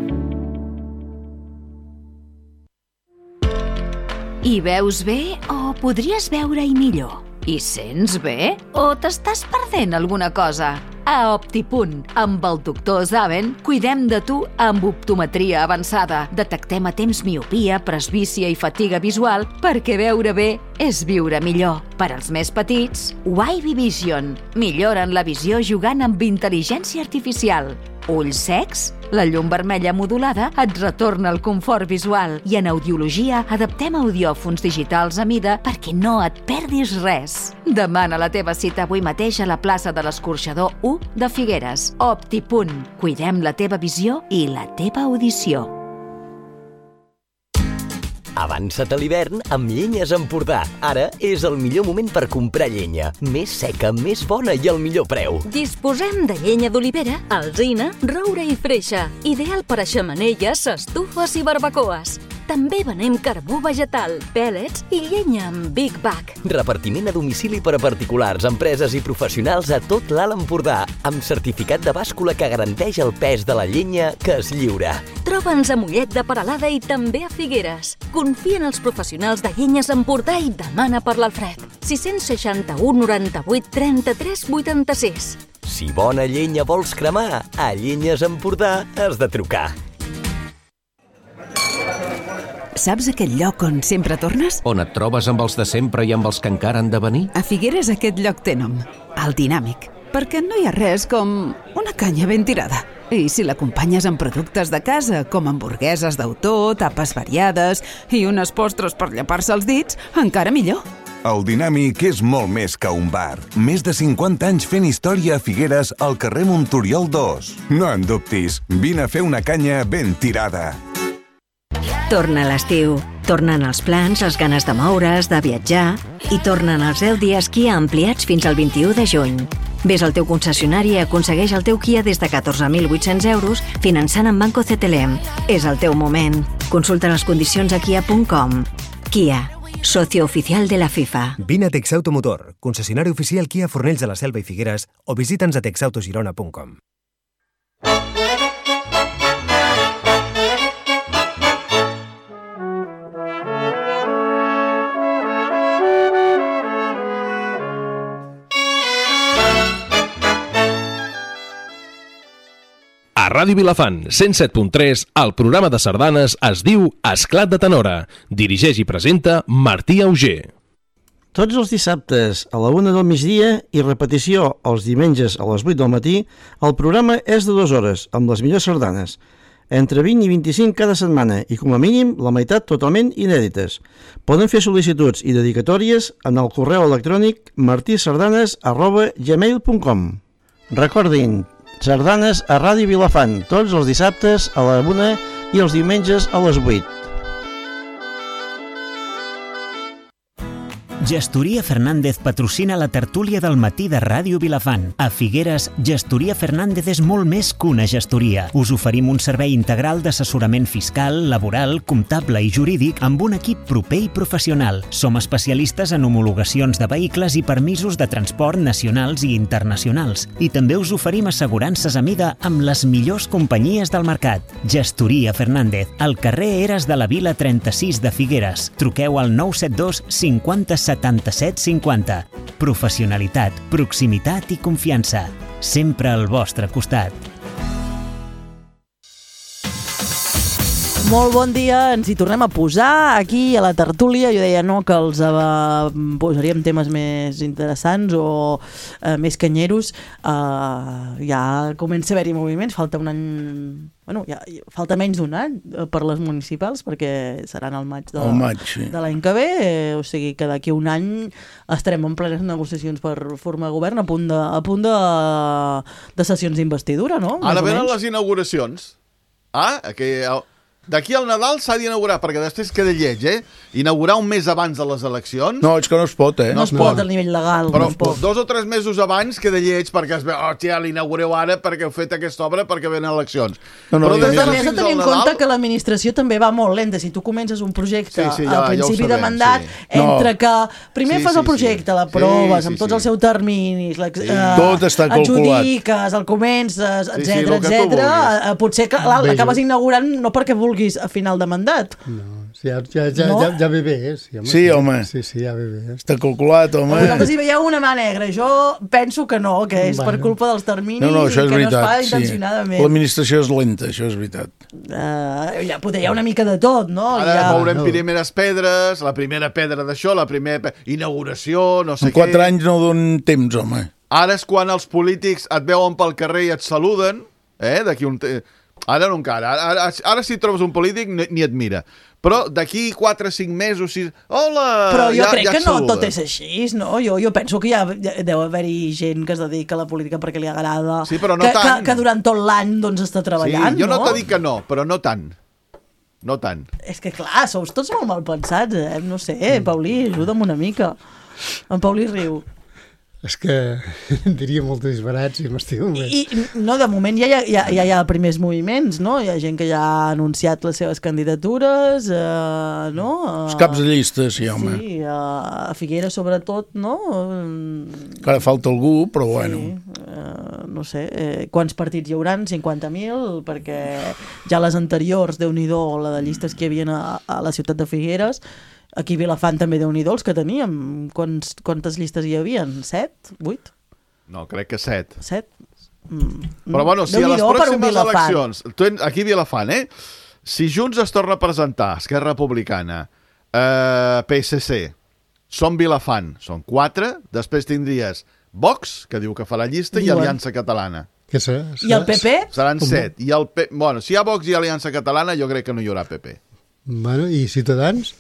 Hi veus bé o podries veure-hi millor? Hi sents bé o t'estàs perdent alguna cosa? A Optipunt, amb el doctor Zaven, cuidem de tu amb optometria avançada. Detectem a temps miopia, presbícia i fatiga visual perquè veure bé és viure millor. Per als més petits, Wavy Vision. Milloren la visió jugant amb intel·ligència artificial. Ulls secs? La llum vermella modulada et retorna el confort visual i en audiologia adaptem audiòfons digitals a mida perquè no et perdis res. Demana la teva cita avui mateix a la plaça de l'Escorxador u de Figueres. Optipunt. Cuidem la teva visió i la teva audició. Avança't a l'hivern amb Llenyes Empordà. Ara és el millor moment per comprar llenya. Més seca, més bona i al millor preu. Disposem de llenya d'olivera, alzina, roure i freixa. Ideal per a xemeneies, estufes i barbacoes. També venem carbó vegetal, pèl·lets i llenya amb Big Bag. Repartiment a domicili per a particulars, empreses i professionals a tot l'Alt Empordà, amb certificat de bàscula que garanteix el pes de la llenya que es lliura. Troba'ns a Mollet de Peralada i també a Figueres. Confia en els professionals de Llenyes Empordà i demana per l'Alfred. sis seixanta u noranta-vuit trenta-tres vuitanta-sis. Si bona llenya vols cremar, a Llenyes Empordà has de trucar. Saps aquell lloc on sempre tornes? On et trobes amb els de sempre i amb els que encara han de venir? A Figueres aquest lloc té nom, el Dinàmic, perquè no hi ha res com una canya ben tirada. I si l'acompanyes amb productes de casa, com hamburgueses d'autor, tapes variades i unes postres per llepar-se els dits, encara millor. El Dinàmic és molt més que un bar. Més de cinquanta anys fent història a Figueres al carrer Montoriol dos. No en dubtis, vine a fer una canya ben tirada. Torna l'estiu. Tornen els plans, les ganes de moure's, de viatjar i tornen els deu dies Kia ampliats fins al vint-i-u de juny. Ves al teu concessionari i aconsegueix el teu Kia des de catorze mil vuit-cents euros finançant amb Banco C T L M. És el teu moment. Consulta les condicions a kia punt com. Kia, socio oficial de la FIFA. Vine a Texauto Motor, concessionari oficial Kia Fornells de la Selva i Figueres, o visita'ns a texautogirona punt com. A Ràdio Vilafant, cent set punt tres, el programa de sardanes es diu Esclat de Tenora. Dirigeix i presenta Martí Auger. Tots els dissabtes a la una del migdia i repetició els diumenges a les vuit del matí, el programa és de dues hores, amb les millors sardanes. Entre vint i vint-i-cinc cada setmana i, com a mínim, la meitat totalment inèdites. Poden fer sol·licituds i dedicatòries en el correu electrònic martisardanes arroba gmail punt com. Recordin, sardanes a Ràdio Vilafant, tots els dissabtes a la una i els diumenges a les vuit. Gestoria Fernández patrocina la tertúlia del matí de Ràdio Vilafant. A Figueres, Gestoria Fernández és molt més que una gestoria. Us oferim un servei integral d'assessorament fiscal, laboral, comptable i jurídic amb un equip proper i professional. Som especialistes en homologacions de vehicles i permisos de transport nacionals i internacionals. I també us oferim assegurances a mida amb les millors companyies del mercat. Gestoria Fernández, al carrer Eres de la Vila trenta-sis de Figueres. Truqueu al nou set dos cinquanta setanta setanta-set cinquanta. Professionalitat, proximitat i confiança. Sempre al vostre costat. Molt bon dia, ens hi tornem a posar aquí a la tertúlia. Jo deia no, que els uh, posaríem temes més interessants o uh, més canyeros. Uh, ja comença a haver-hi moviments, falta un any... Bueno, ja, falta menys d'un any per les municipals, perquè seran al maig de, maig, sí. de l'any que ve, eh, o sigui que d'aquí un any estarem en plenes negociacions per formar govern, a punt de, a punt de, de sessions d'investidura, no? Ara venen les inauguracions. Ah, que... D'aquí al Nadal s'ha d'inaugurar, perquè després queda lleig, eh? Inaugurar un mes abans de les eleccions... No, és que no es pot, eh? No es pot, al nivell legal. Però no es pot. dos o tres mesos abans queda lleig, perquè es veu, oh, tia, l'inaugureu ara perquè heu fet aquesta obra perquè venen eleccions. No, no, Però Però des també d'ara has de fins tenir al en compte Nadal... que l'administració també va molt lenta. Si tu comences un projecte Sí, sí, ja- al principi ja ho de sabem, mandat, sí. entre No. que primer Sí, fas sí, el projecte, sí. l'aproves, Sí, amb sí, tots sí. els seus terminis, l'ex- Sí. eh, Tot està calculat. adjudiques, el comences, Sí, sí, etcètera, el que tu etcètera. vulguis. Eh, Potser que clar, Bé, l'acabes jo- inaugurant no perquè vulguis a final de mandat. No, sí, ja, ja, ja, No? ja, ja ve bé, eh? Sí, home. Sí, home. Sí, sí, ja ve bé. Eh? Està calculat, home. Vosaltres hi veieu una mà negra. Jo penso que no, que és per Bueno. culpa dels terminis No, no, això i és que no es fa veritat. Sí. intencionadament. L'administració és lenta, això és veritat. Uh, ja, potser hi ha una mica de tot, no? Ara ja... mourem no. primeres pedres, la primera pedra d'això, la primera pe... inauguració, no sé En quatre què. anys no donen temps, home. Ara és quan els polítics et veuen pel carrer i et saluden, eh? D'aquí un... Te... Ara no encara. Ara, ara, ara si trobes un polític ni, ni et mira. Però d'aquí quatre o cinc mesos... Si... Hola! Però jo ja, crec ja que no saluda. tot és així, no? Jo, jo penso que hi ha, deu haver-hi gent que es dedica a la política perquè li agrada, Sí, però no que, tant. que, que durant tot l'any doncs, està treballant, Sí, jo no, no? no t'he dit que no, però no tant. No tant. És que clar, sous tots molt mal pensats, eh? No sé, Paulí, ajuda'm una mica. En Paulí riu. És que diria molts disbarats i m'estimo més. I, no, de moment ja hi ha, ja, ja hi ha primers moviments, no? Hi ha gent que ja ha anunciat les seves candidatures, eh, no? Els caps de llista, sí, home. Sí, a Figueres sobretot, no? Encara falta algú, però bueno. Sí, eh, no sé, eh, quants partits hi hauran? cinquanta mil, perquè ja les anteriors, Déu-n'hi-do, la de llistes que hi havia a, a la ciutat de Figueres, aquí a Vilafant també Déu-n'hi-do els que teníem. Quants, quantes llistes hi havia? Set? Vuit? No, crec que set. Set? Mm. Però bueno, si a les Déu-n'hi-do per un pròximes Vilafant. eleccions... Tu, aquí a Vilafant, eh? Si Junts es torna a presentar, Esquerra Republicana, eh, P S C, són Vilafant, són quatre, després tindries Vox, que diu que farà llista, Diuen. i Aliança Catalana. Què serà? I el P P? Seran set. I el P... Bueno, si hi ha Vox i Aliança Catalana, jo crec que no hi haurà P P. Bueno, i Ciutadans?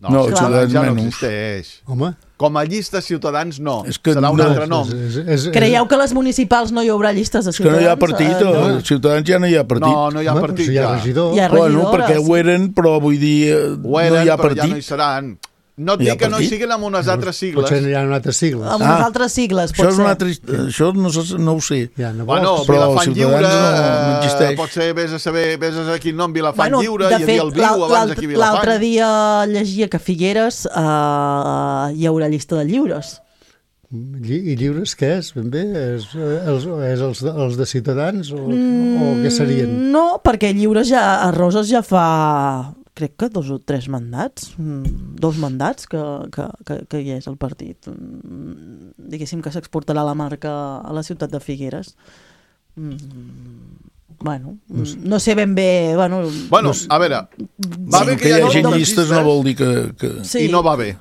No, No, Ciutadans Ciutadans ja no menys. existeix. Home. Com a llista Ciutadans, no. És que serà un no. altre nom. És, és, és, Creieu que a les municipals no hi haurà llistes de És que no ciutadans? hi ha partit, Eh, o no. Ciutadans ja no hi ha partit. No, no hi ha Home, partit si hi ha ja. regidor. Hi ha Bueno, regidores. perquè ho eren, però vull dir, eh, Ho eren, no hi ha però ja no hi partit. seran. No et Hi ha dic que no hi partit? siguin amb unes altres sigles. Potser hi ha unes altres sigles. Amb unes Ah, altres sigles, Això pot és ser. una altra... Això no, sé- no ho sé. Ja, no Bueno, vols? Però Vilafant Ciutadans Lliure, no- no eh, existeix. pot ser, vés a saber, vés a saber quin nom, Vilafant Bueno, Lliure, de hi havia fet, el Viu l'al- abans l'alt- aquí a Vilafant. l'altre dia llegia que a Figueres eh, hi haurà llista de lliures. Lli I lliures què és, ben bé? És, eh, els, és els, de, els de Ciutadans o, o què serien? No, perquè lliures ja, a Roses ja fa, crec que dos o tres mandats, mm, dos mandats que, que, que, que hi és el partit. Mm, Diguéssim que s'exportarà la marca a la ciutat de Figueres. Mm, Bueno, mm, no sé ben bé... Bueno, Bueno, a veure, va Sí, bé que que hi hi hagi hagi moltes llistes no vol dir que... que... Sí. I no va bé.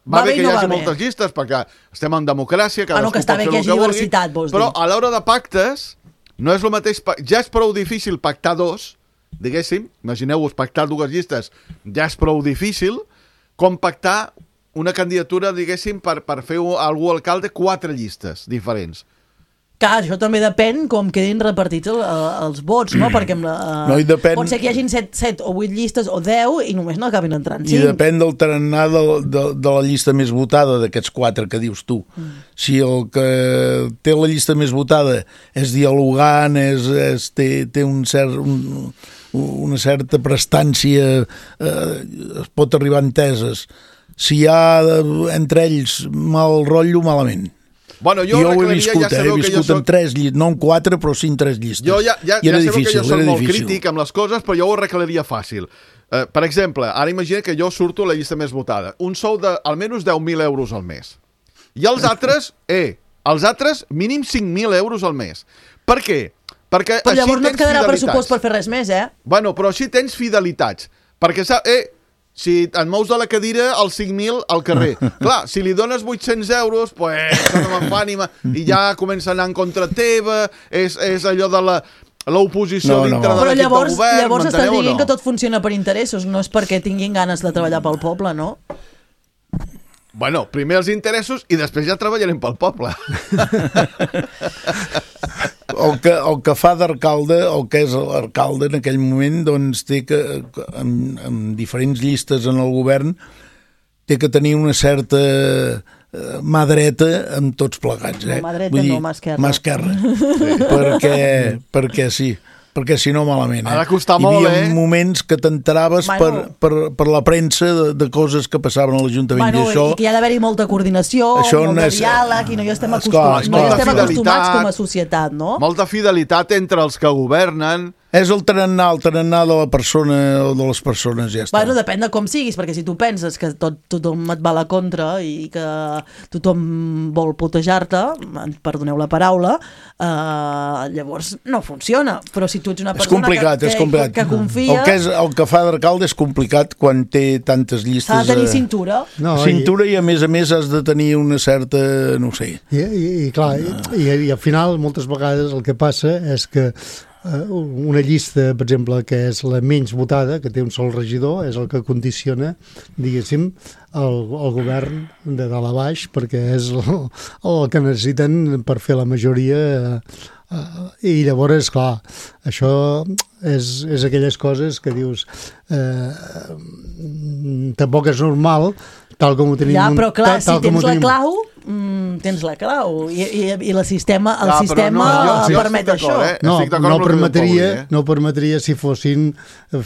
Va, Va bé bé i que no hi hagi va bé. moltes llistes, perquè estem en democràcia, cadascú Ah, no, que està pot bé fer que hi el hagi vulgui, diversitat, vols dir. però a l'hora de pactes no és el mateix... pa- Ja és prou difícil pactar dos, diguéssim, imagineu-vos pactar dues llistes, ja és prou difícil, com pactar una candidatura, diguéssim, per, per fer algú alcalde quatre llistes diferents. clar, això també depèn com quedin repartits el, els vots, no? Perquè amb la, No, i depèn- pot ser que hi hagin set, set o vuit llistes o deu i només no acabin entrant I cinc. depèn del tarannà de, de, de la llista més votada d'aquests quatre que dius tu. Mm. Si el que té la llista més votada és dialogant, és, és, té, té un cert, un, una certa prestància, eh, es pot arribar a enteses. Si hi ha eh, entre ells mal rotllo, malament. Bueno, jo, jo ho he ja viscut, eh? He viscut soc... en tres llistes, no en quatre, però sí en tres llistes. Jo ja, ja, I era ja difícil, sabeu que jo soc era molt difícil. crític amb les coses, però jo ho arreglaria fàcil. Uh, per exemple, ara imagina que jo surto a la llista més votada. Un sou de almenys deu mil euros al mes. I els altres, eh, els altres mínim cinc mil euros al mes. Per què? Perquè però així llavors no et tens quedarà fidelitats. pressupost per fer res més, eh? Bueno, però així tens fidelitats. Perquè, eh, si et mous de la cadira, els cinc mil al carrer. Clar, si li dones vuit-cents euros, pues, no me'n fa ànima, i ja comença a anar en contra teva, és, és allò de la... l'oposició No, no. dintre de Però l'equip de llavors, govern, llavors estàs m'enteneu o dient no? que tot funciona per interessos, no és perquè tinguin ganes de treballar pel poble, no? Bueno, primer els interessos i després ja treballarem pel poble. El que, el que fa d'alcalde, el que és l'alcalde en aquell moment, doncs té que, amb, amb diferents llistes en el govern, té que tenir una certa eh, mà dreta amb tots plegats. Eh? No, mà dreta Vull dir, no, mà esquerra. Mà esquerra. Sí. Perquè, perquè sí. Perquè si no, malament. Eh? Ha de costar Hi molt, havia eh? moments que t'enteraves Bueno. per, per, per la premsa de, de coses que passaven a l'Ajuntament. Bueno, I això, i que hi ha d'haver-hi molta coordinació, Això molt no de és- diàleg, i no hi estem, acostum... Esclar, no hi esclar. estem acostumats Fidelitat. com a societat, no? Molta fidelitat entre els que governen. és el tarannà, el tarannà de la persona o de les persones, ja està. Bueno, depèn de com siguis, perquè si tu penses que tot, tothom et va a la contra i que tothom vol putejar-te, perdoneu la paraula, eh, llavors no funciona. Però si tu ets una És persona complicat, que, és que, complicat. que confia... El que, és, el que fa d'alcalde és complicat quan té tantes llistes. S'ha de tenir eh, cintura. No, cintura i, a més a més has de tenir una certa, no ho sé. I, i, i clar, i, i al final moltes vegades el que passa és que eh, una llista, per exemple, que és la menys votada, que té un sol regidor, és el que condiciona, diguéssim, el, el govern de dalt a baix, perquè és el, el que necessiten per fer la majoria. Uh, i llavors, clar, això és, és aquelles coses que dius eh, tampoc és normal, tal com ho tenim... Ja, però clar, tal, tal si com ho tens la tenim- clau, mm, tens la clau. I, i, i el sistema, el Clar, però sistema no, jo- jo permet estic això. d'acord, eh? No, Estic d'acord no amb el que diu el permetria, Pauli, eh? no permetria si fossin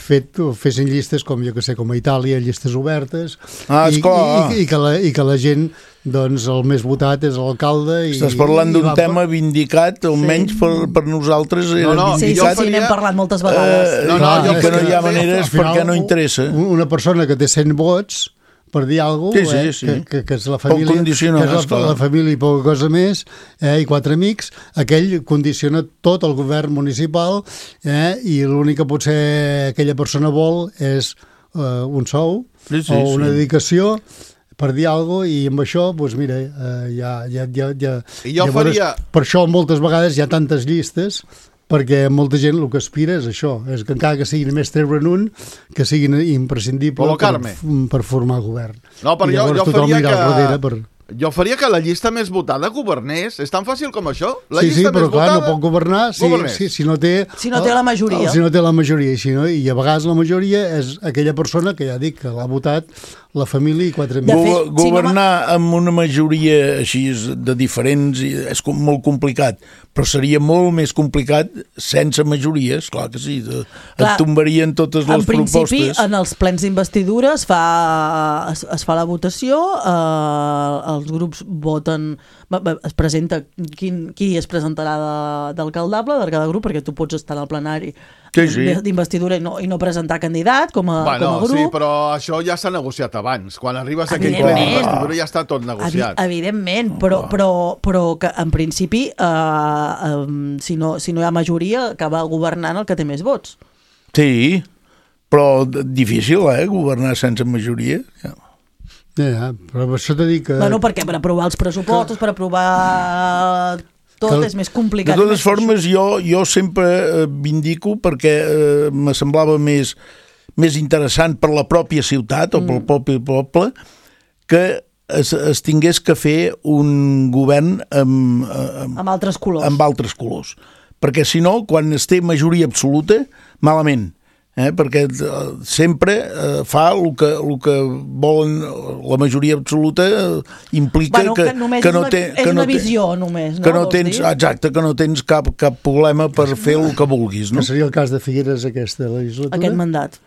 fet, fessin llistes com jo que sé, com a Itàlia, llistes obertes, Ah, i, esclar. i, i, que la, i que la gent, doncs, el més votat és l'alcalde. i- Estàs parlant i d'un va- tema vindicat, almenys per, per nosaltres era No, no, Sí, sí, vindicat. sí, n'hem parlat moltes vegades. Eh, No, no, clar, jo i que no hi ha al maneres final, perquè no interessa. un- Una persona que té cent vots, per dir alguna Sí, cosa, sí, eh, sí. que, que, que és la Pot família, condicionar, que és la, esclar. la família i poca cosa més, eh, i quatre amics, aquell condiciona tot el govern municipal, eh, i l'únic que potser aquella persona vol és eh, un sou Sí, sí, o una sí. dedicació per dir alguna cosa, i amb això, doncs mira, eh, ja, ja, ja, ja, I jo llavors, faria- per això moltes vegades hi ha tantes llistes, perquè molta gent el que aspira és això, és que encara que siguin més treure'n un, que siguin imprescindibles per, Col·locar-me. per formar govern. No, però I jo, llavors jo tothom faria anirà al darrere que... per... Jo faria que la llista més votada governés. És tan fàcil com això? La sí, sí, llista però més clar, votada, no pot governar si, governés. si, si no té... Si no té la majoria. Si no té la majoria. I, si no, I a vegades la majoria és aquella persona que ja dic que l'ha votat la família i quatre De amics. fet, Go si no governar amb una majoria així de diferents i és com molt complicat, però seria molt més complicat sense majories, clar que sí, de, Clar, et tombarien totes En les principi, propostes. en els plens d'investidura es, fa, es, es fa la votació, eh, els grups voten, va- va- es presenta quin, qui es presentarà de- d'alcaldable de cada grup, perquè tu pots estar al plenari Sí, sí. d'investidura i, no, i no presentar candidat com a, Bueno, com a grup. sí, però això ja s'ha negociat abans. Quan arribes a aquell ple Evidentment. d'investidura ja està tot Evi negociat. evidentment, però, però, però que en principi, eh, eh, si, no, si no hi ha majoria, acaba governant el que té més vots. Sí, però d- difícil, eh, governar sense majoria. Ja. Ja, ja, però per això t'he dit que... Bueno, perquè per aprovar els pressupostos, per aprovar tot, Que- és més complicat. De i totes més formes, jo, jo sempre eh, vindico perquè eh, me semblava més, més interessant per la pròpia ciutat o pel propi poble que es, es tingués que fer un govern amb, amb, amb altres colors. amb altres colors. Perquè si no, quan es té majoria absoluta, malament. Eh? Perquè eh, sempre eh, fa el que, el que volen la majoria absoluta eh, implica Bueno, que, que només que és no una- té, és que no una té, visió, només, no? que no Vols tens, dir? exacte, que no tens cap, cap problema per fer el que vulguis, no? Que seria el cas de Figueres aquesta legislatura. Aquest mandat.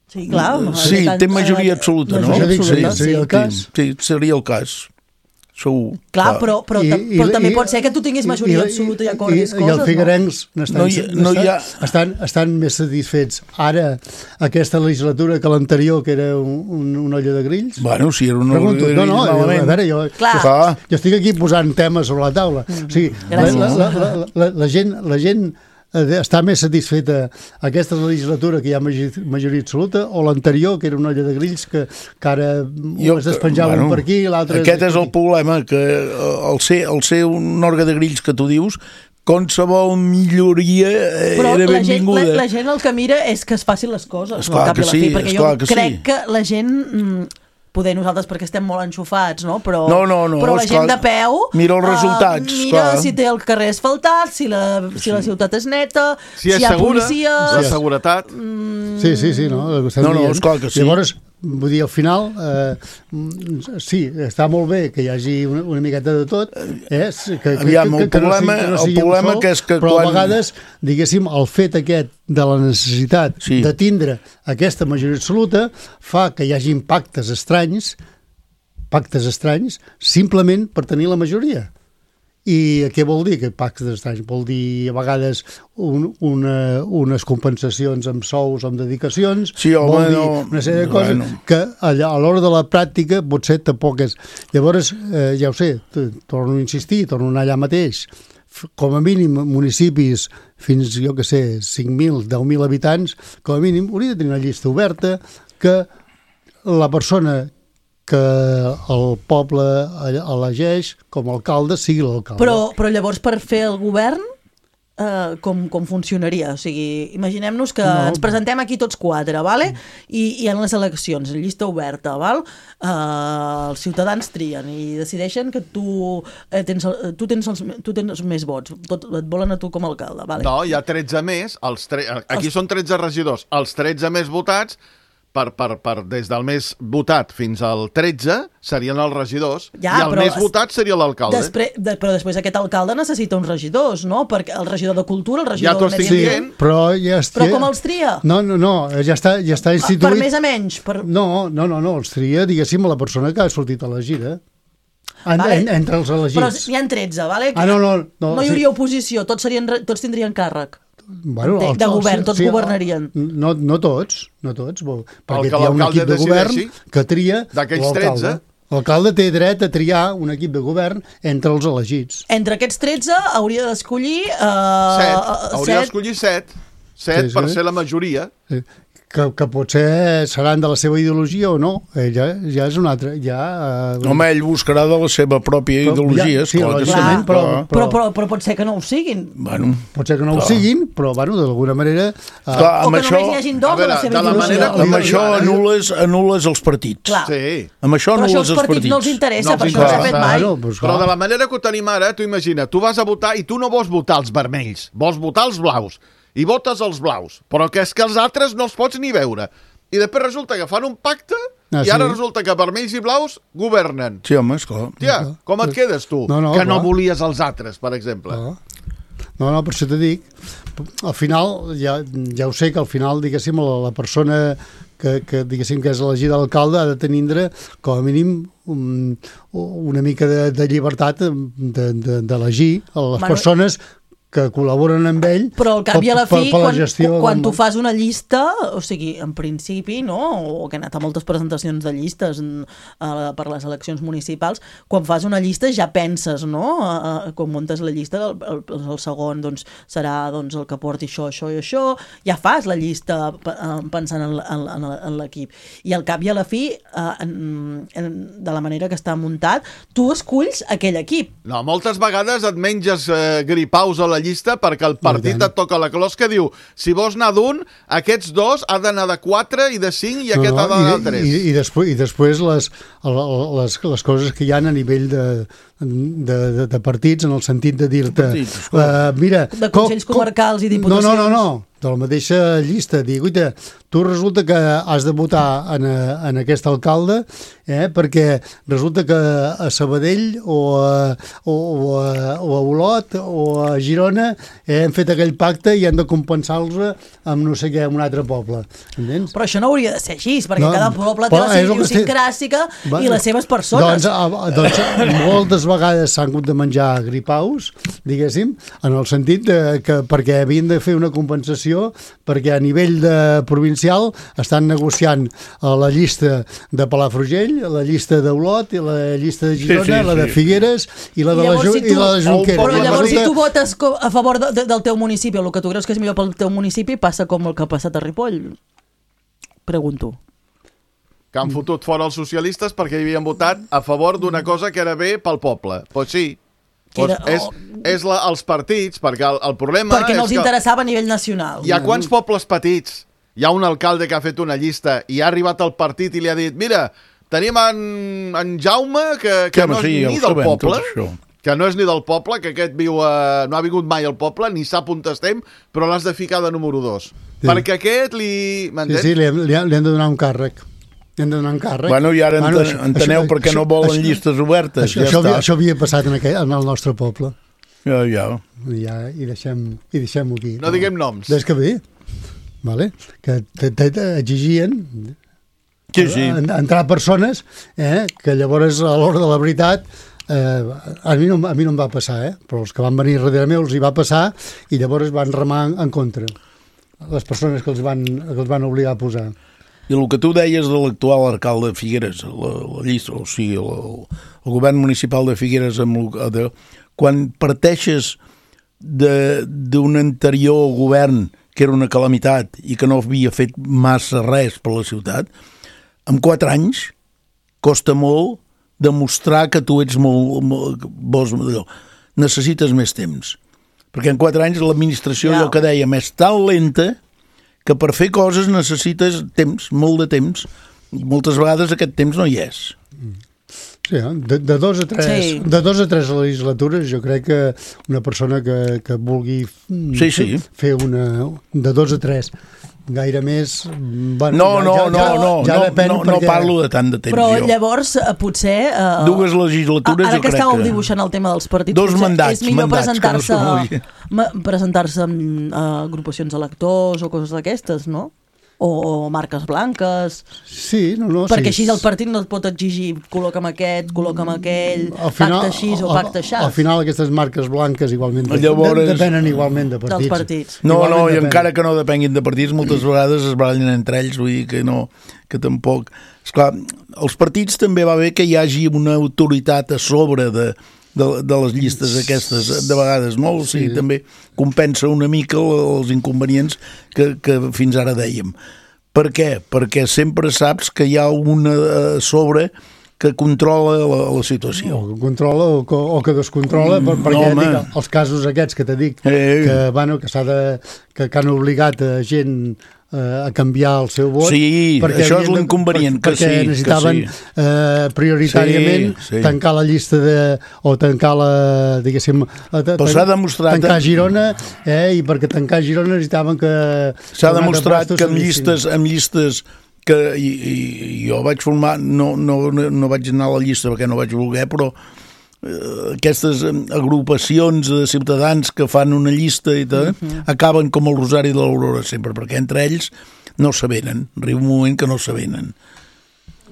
Sí, clar. Sí, té majoria absoluta, no? Majoria absoluta, sí, seria el sí, cas. Sí, seria el cas. segur. Clar, però, però, I- I, i- però també i- pot ser que tu tinguis majoria i- absoluta i i- acordis i, coses, i els figuerencs no? n'estan, No hi- no hi ha- estan, estan més satisfets ara aquesta legislatura que l'anterior, que era un, un, una olla de grills? Bueno, si era una Pregunto, olla de no, no, grills, jo, a malament. veure, jo, Clar. jo, jo estic aquí posant temes sobre la taula. O sigui, la, Gràcies. la, la, la, la, la gent, la gent eh, està més satisfeta aquesta legislatura que hi ha magi- majoria absoluta o l'anterior, que era una olla de grills que, que ara Jo- es despenjava bueno, un per aquí i l'altre... Aquest és el problema, que el ser, el ser un òrgan de grills que tu dius, qualsevol milloria eh, Però era la gent, benvinguda. la, la gent el que mira és que es facin les coses, Esclar no, al cap que i a la sí, fi, perquè jo esclar que crec sí. que la gent... mm, poder nosaltres perquè estem molt enxufats, no? Però, No, no, no, però la esclar, gent de peu... mira els eh, resultats, mira esclar. si té el carrer asfaltat, si la, si la ciutat és neta, Si és hi ha segura, policia... la seguretat... Sí, sí, sí, no? El que estem No, no, dient. esclar que sí. Llavors, vull dir, al final, eh, mm, sí, està molt bé que hi hagi una, una miqueta de tot, eh? Que, que, Aviam, el que, que no problema- sigui, que no el sigui un problema sol, que és que però quan- a vegades, diguéssim, el fet aquest de la necessitat Sí. de tindre aquesta majoria absoluta fa que hi hagi pactes estranys, pactes estranys, simplement per tenir la majoria. I què vol dir, aquest pactes estranys? Vol dir, a vegades, un, una, unes compensacions amb sous, amb dedicacions, Sí, home, vol dir no, una sèrie de coses bueno. que allà, a l'hora de la pràctica potser tampoc és. Llavors, eh, ja ho sé, t- torno a insistir, torno a anar allà mateix, F- com a mínim municipis fins, jo que sé, cinc mil, deu mil habitants, com a mínim hauria de tenir una llista oberta que la persona que el poble elegeix com a alcalde sigui l'alcalde. Però, però llavors per fer el govern eh, com, com funcionaria? O sigui, imaginem-nos que No. ens presentem aquí tots quatre, vale? I, i en les eleccions, en llista oberta, val? Eh, els ciutadans trien i decideixen que tu, eh, tens, el- tu, tens, els, tu tens més vots, tot, et volen a tu com a alcalde, vale? No, hi ha tretze més, els tre... aquí són tretze regidors, els tretze més votats, per, per, per, des del més votat fins al tretze serien els regidors, Ja, i el però més es- votat seria l'alcalde. Després, de, però després aquest alcalde necessita uns regidors, no? Perquè el regidor de cultura, el regidor Ja t'ho de estic medi dient. ambient... Però, ja est... Però com els tria? No, no, no, ja està, ja està instituït... Per més a menys? Per... No, no, no, no, els tria, diguéssim, la persona que ha sortit elegida. En, Vale. en, entre els elegits. Però n'hi ha tretze, vale? Ah, no, no, no, no hi sí. hauria oposició, tots, serien, re- tots tindrien càrrec. Bueno, de, els- de els- govern, tots sí, governarien. No, no tots, no tots, bo- perquè que hi ha un l'alcalde equip de govern decideixi, que tria d'aquells l'alcalde. tretze. L'alcalde té dret a triar un equip de govern entre els elegits. Entre aquests tretze hauria d'escollir... Uh, Set. Hauria d'escollir set. Set Sí, per sí. ser la majoria. Eh, Que, que potser seran de la seva ideologia o no, eh, ja, ja és un altre... Ja, eh, Home, ell buscarà de la seva pròpia Però, ideologia, ja, sí, esclar que sí. lògicament, però- Però, però, però, però pot ser que no ho siguin. Bueno, pot ser que no ho clar. siguin, però bueno, d'alguna manera... Eh, Clar, O amb que això, només hi hagin dos a de veure, la seva de la ideologia. manera amb això anules, anules els partits. Clar. Sí. Amb això Però això anules als els partits partits. no els interessa, No els per això no s'ha interessa. fet mai. Claro, pues, Però clar. de la manera que ho tenim ara, tu imagina, tu vas a votar i tu no vols votar els vermells, vols votar els blaus, i votes els blaus, però que és que els altres no els pots ni veure. I després resulta que fan un pacte Ah, i ara sí? resulta que vermells i blaus governen. Sí, home, esclar. Tia, com et quedes tu? No, no, que no clar. volies els altres, per exemple. No, no, no, per això t'ho dic. Al final, ja, ja ho sé que al final, diguéssim, la, la persona que, que, diguéssim, que és elegida alcalde ha de tenir, com a mínim, un, una mica de, de llibertat de- de- d'elegir de, de les Bueno, persones que col·laboren amb ell Però al cap i a la per- fi, per la quan, gestió quan del- tu fas una llista, o sigui, en principi, no? O que he anat a moltes presentacions de llistes mm, eh, per les eleccions municipals, quan fas una llista ja penses, no? Eh, eh, quan muntes la llista, el, el, el segon doncs, serà doncs, el que porti això, això i això, ja fas la llista pe- eh, pensant en, l- en, en, en l'equip. I al cap i a la fi, eh, en, en, de la manera que està muntat, tu esculls aquell equip. No, moltes vegades et menges eh, gripaus a la llista perquè el partit tant. et toca la closca, diu, si vols anar d'un, aquests dos ha d'anar de quatre i de cinc i aquest ha d'anar de tres. I, i, després, i després les, les, les coses que hi ha a nivell de, de, de, de partits, en el sentit de dir-te partits, uh, mira... De consells comarcals i diputacions. No, no, no, no. de la mateixa llista, dir, guaita, tu resulta que has de votar en, a, en aquest alcalde eh, perquè resulta que a Sabadell o a, o, o a, o a Olot o a Girona eh, hem fet aquell pacte i hem de compensar-los amb no sé què, amb un altre poble. Entens? Però això no hauria de ser així, perquè No, cada poble té però la és seva el que idiosincràsica Va, i les seves persones. Doncs, a, doncs moltes vegades s'han hagut de menjar gripaus, diguéssim, en el sentit de que perquè havien de fer una compensació perquè a nivell de provincial estan negociant a la llista de Palafrugell, la llista d'Olot, i la llista de Girona, sí, sí, la de Figueres i la de, la, llavors, si tu, i la de Junqueras. Però llavors si tu votes a favor de, de, del teu municipi, o el que tu creus que és millor pel teu municipi, passa com el que ha passat a Ripoll? Pregunto. Que han fotut fora els socialistes perquè hi havien votat a favor d'una cosa que era bé pel poble. Pues sí. Pues Era, és és la, els partits, perquè el, el problema perquè no és els que interessava a nivell nacional. hi ha quants pobles petits, hi ha un alcalde que ha fet una llista i ha arribat al partit i li ha dit, mira, tenim en, en Jaume, que, que, que no és sí, ni del sabem, poble, que no és ni del poble, que aquest viu a, no ha vingut mai al poble, ni sap on estem, però l'has de ficar de número dos. Sí. Perquè aquest li... Sí, sí, li, li, li han de donar un càrrec. Li han de donar un càrrec. Bueno, i ara bueno, enten, enteneu això, per què no volen això, llistes obertes. Això, ja això, està. havia, això havia passat en, aquell, en el nostre poble. Ja, ja. I, ja, i deixem, i deixem-ho aquí. No, no diguem noms. Des que ve, vale? Que exigien sí, sí. entrar persones eh, que llavors a l'hora de la veritat eh, a, mi no, a mi no em va passar, eh? Però els que van venir darrere meu els hi va passar i llavors van remar en, en contra les persones que els van, que els van obligar a posar. I el que tu deies de l'actual alcalde de Figueres, la, la llista, o sigui, el, el govern municipal de Figueres, amb, de, quan parteixes d'un anterior govern que era una calamitat i que no havia fet massa res per la ciutat, en quatre anys costa molt demostrar que tu ets molt... molt vols, necessites més temps. Perquè en quatre anys l'administració, allò que dèiem, és tan lenta que per fer coses necessites temps, molt de temps, i moltes vegades aquest temps no hi és. Sí, de, de, dos a tres, sí. de dos a tres legislatures jo crec que una persona que, que vulgui sí, sí. fer una... de dos a tres gaire més... Bueno, no, no, ja, no, ja, no, ja no, depèn no, perquè... no parlo de tant de temps. Però jo. llavors, potser... Uh, Dues legislatures ara jo que crec estàveu que... dibuixant el tema dels partits, Dos mandats, és millor mandats, presentar-se no presentar-se amb uh, agrupacions electors o coses d'aquestes, no? O, o marques blanques. Sí, no, no. Perquè sí. així el partit no et pot exigir col·loca'm aquest, col·loca'm aquell, final, pacte així o pacte així. Al final aquestes marques blanques igualment Llavors, depenen igualment de partits. Dels partits. No, igualment no, i depèn. encara que no depenguin de partits, moltes vegades es barallen entre ells, vull dir que no, que tampoc... Esclar, els partits també va bé que hi hagi una autoritat a sobre de, de, de les llistes aquestes, de vegades, no? O sigui, sí. També compensa una mica els inconvenients que, que fins ara dèiem. Per què? Perquè sempre saps que hi ha una a sobre que controla la, la situació. O que controla o que, o que descontrola, mm, perquè no, dic, els casos aquests que t'he dit, eh, que, bueno, que, s'ha de, que, que han obligat a gent a canviar el seu vot. Sí, això és l'inconvenient, que perquè sí. Perquè necessitaven que sí. eh, prioritàriament sí, sí. tancar la llista de... o tancar la... diguéssim... Però s'ha demostrat... Tancar Girona, eh, i perquè tancar Girona necessitaven que... S'ha demostrat que amb llistes, amb llistes que i, i, jo vaig formar... No, no, no vaig anar a la llista perquè no vaig voler, però aquestes agrupacions de ciutadans que fan una llista i tot, uh-huh. acaben com el Rosari de l'Aurora sempre, perquè entre ells no s'avenen, arriba un moment que no s'avenen.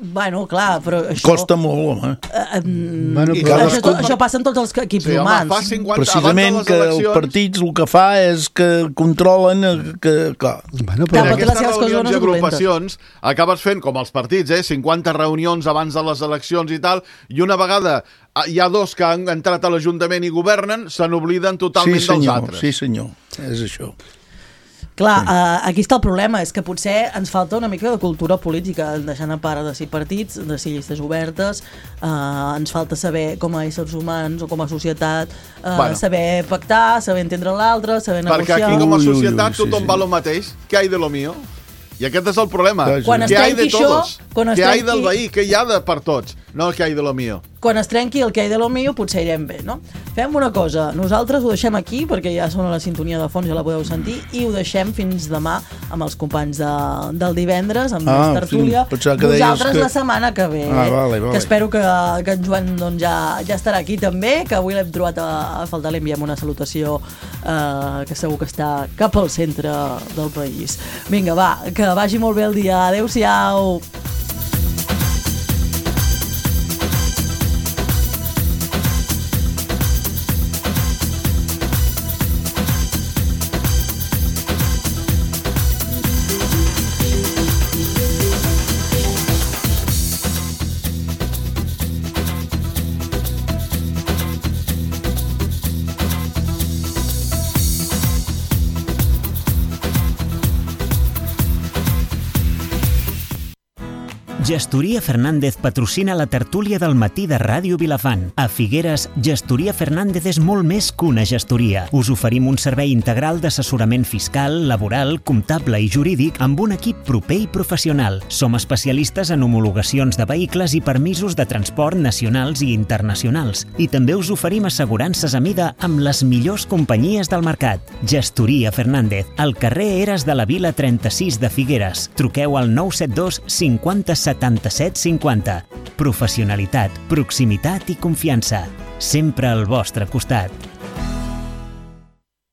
Bueno, clar, però això... Costa molt, home. Uh, um, bueno, però això, tot, això passa en tots els equips sí, humans. Home, cinquanta, precisament que eleccions... els partits el que fa és que controlen que, clar. Bueno, però en aquestes reunions i agrupacions acabes fent, com els partits, eh, cinquanta reunions abans de les eleccions i tal, i una vegada hi ha dos que han entrat a l'Ajuntament i governen, se n'obliden totalment sí, senyor, dels altres. Sí, senyor, és això. Clar, uh, aquí està el problema, és que potser ens falta una mica de cultura política, deixant a part de si partits, de si llistes obertes, uh, ens falta saber com a éssers humans o com a societat, uh, bueno. saber pactar, saber entendre l'altre, saber negociar... Perquè aquí com a societat ui, ui, ui, tothom sí, va sí. lo mateix, què hay de lo mío? I aquest és el problema. Quan què hay de això, todos? quan què hay trenqui... del veí? Què hi ha de per tots? No el que hay de lo mío. quan es trenqui el que hi de lo mío potser irem bé, no? Fem una cosa, nosaltres ho deixem aquí perquè ja sona la sintonia de fons, ja la podeu sentir, i ho deixem fins demà amb els companys de, del divendres, amb ah, més tertúlia. Sí, nosaltres que... la setmana que ve, ah, vale, vale. que espero que, que en Joan doncs, ja, ja estarà aquí també, que avui l'hem trobat a, a faltar, li enviem una salutació eh, que segur que està cap al centre del país. Vinga, va, que vagi molt bé el dia. Adéu-siau. Gestoria Fernández patrocina la tertúlia del matí de Ràdio Vilafant. A Figueres, Gestoria Fernández és molt més que una gestoria. Us oferim un servei integral d'assessorament fiscal, laboral, comptable i jurídic amb un equip proper i professional. Som especialistes en homologacions de vehicles i permisos de transport nacionals i internacionals. I també us oferim assegurances a mida amb les millors companyies del mercat. Gestoria Fernández, al carrer Eres de la Vila trenta-sis de Figueres. Truqueu al nou set dos cinquanta setanta-set cinquanta. Professionalitat, proximitat i confiança. Sempre al vostre costat.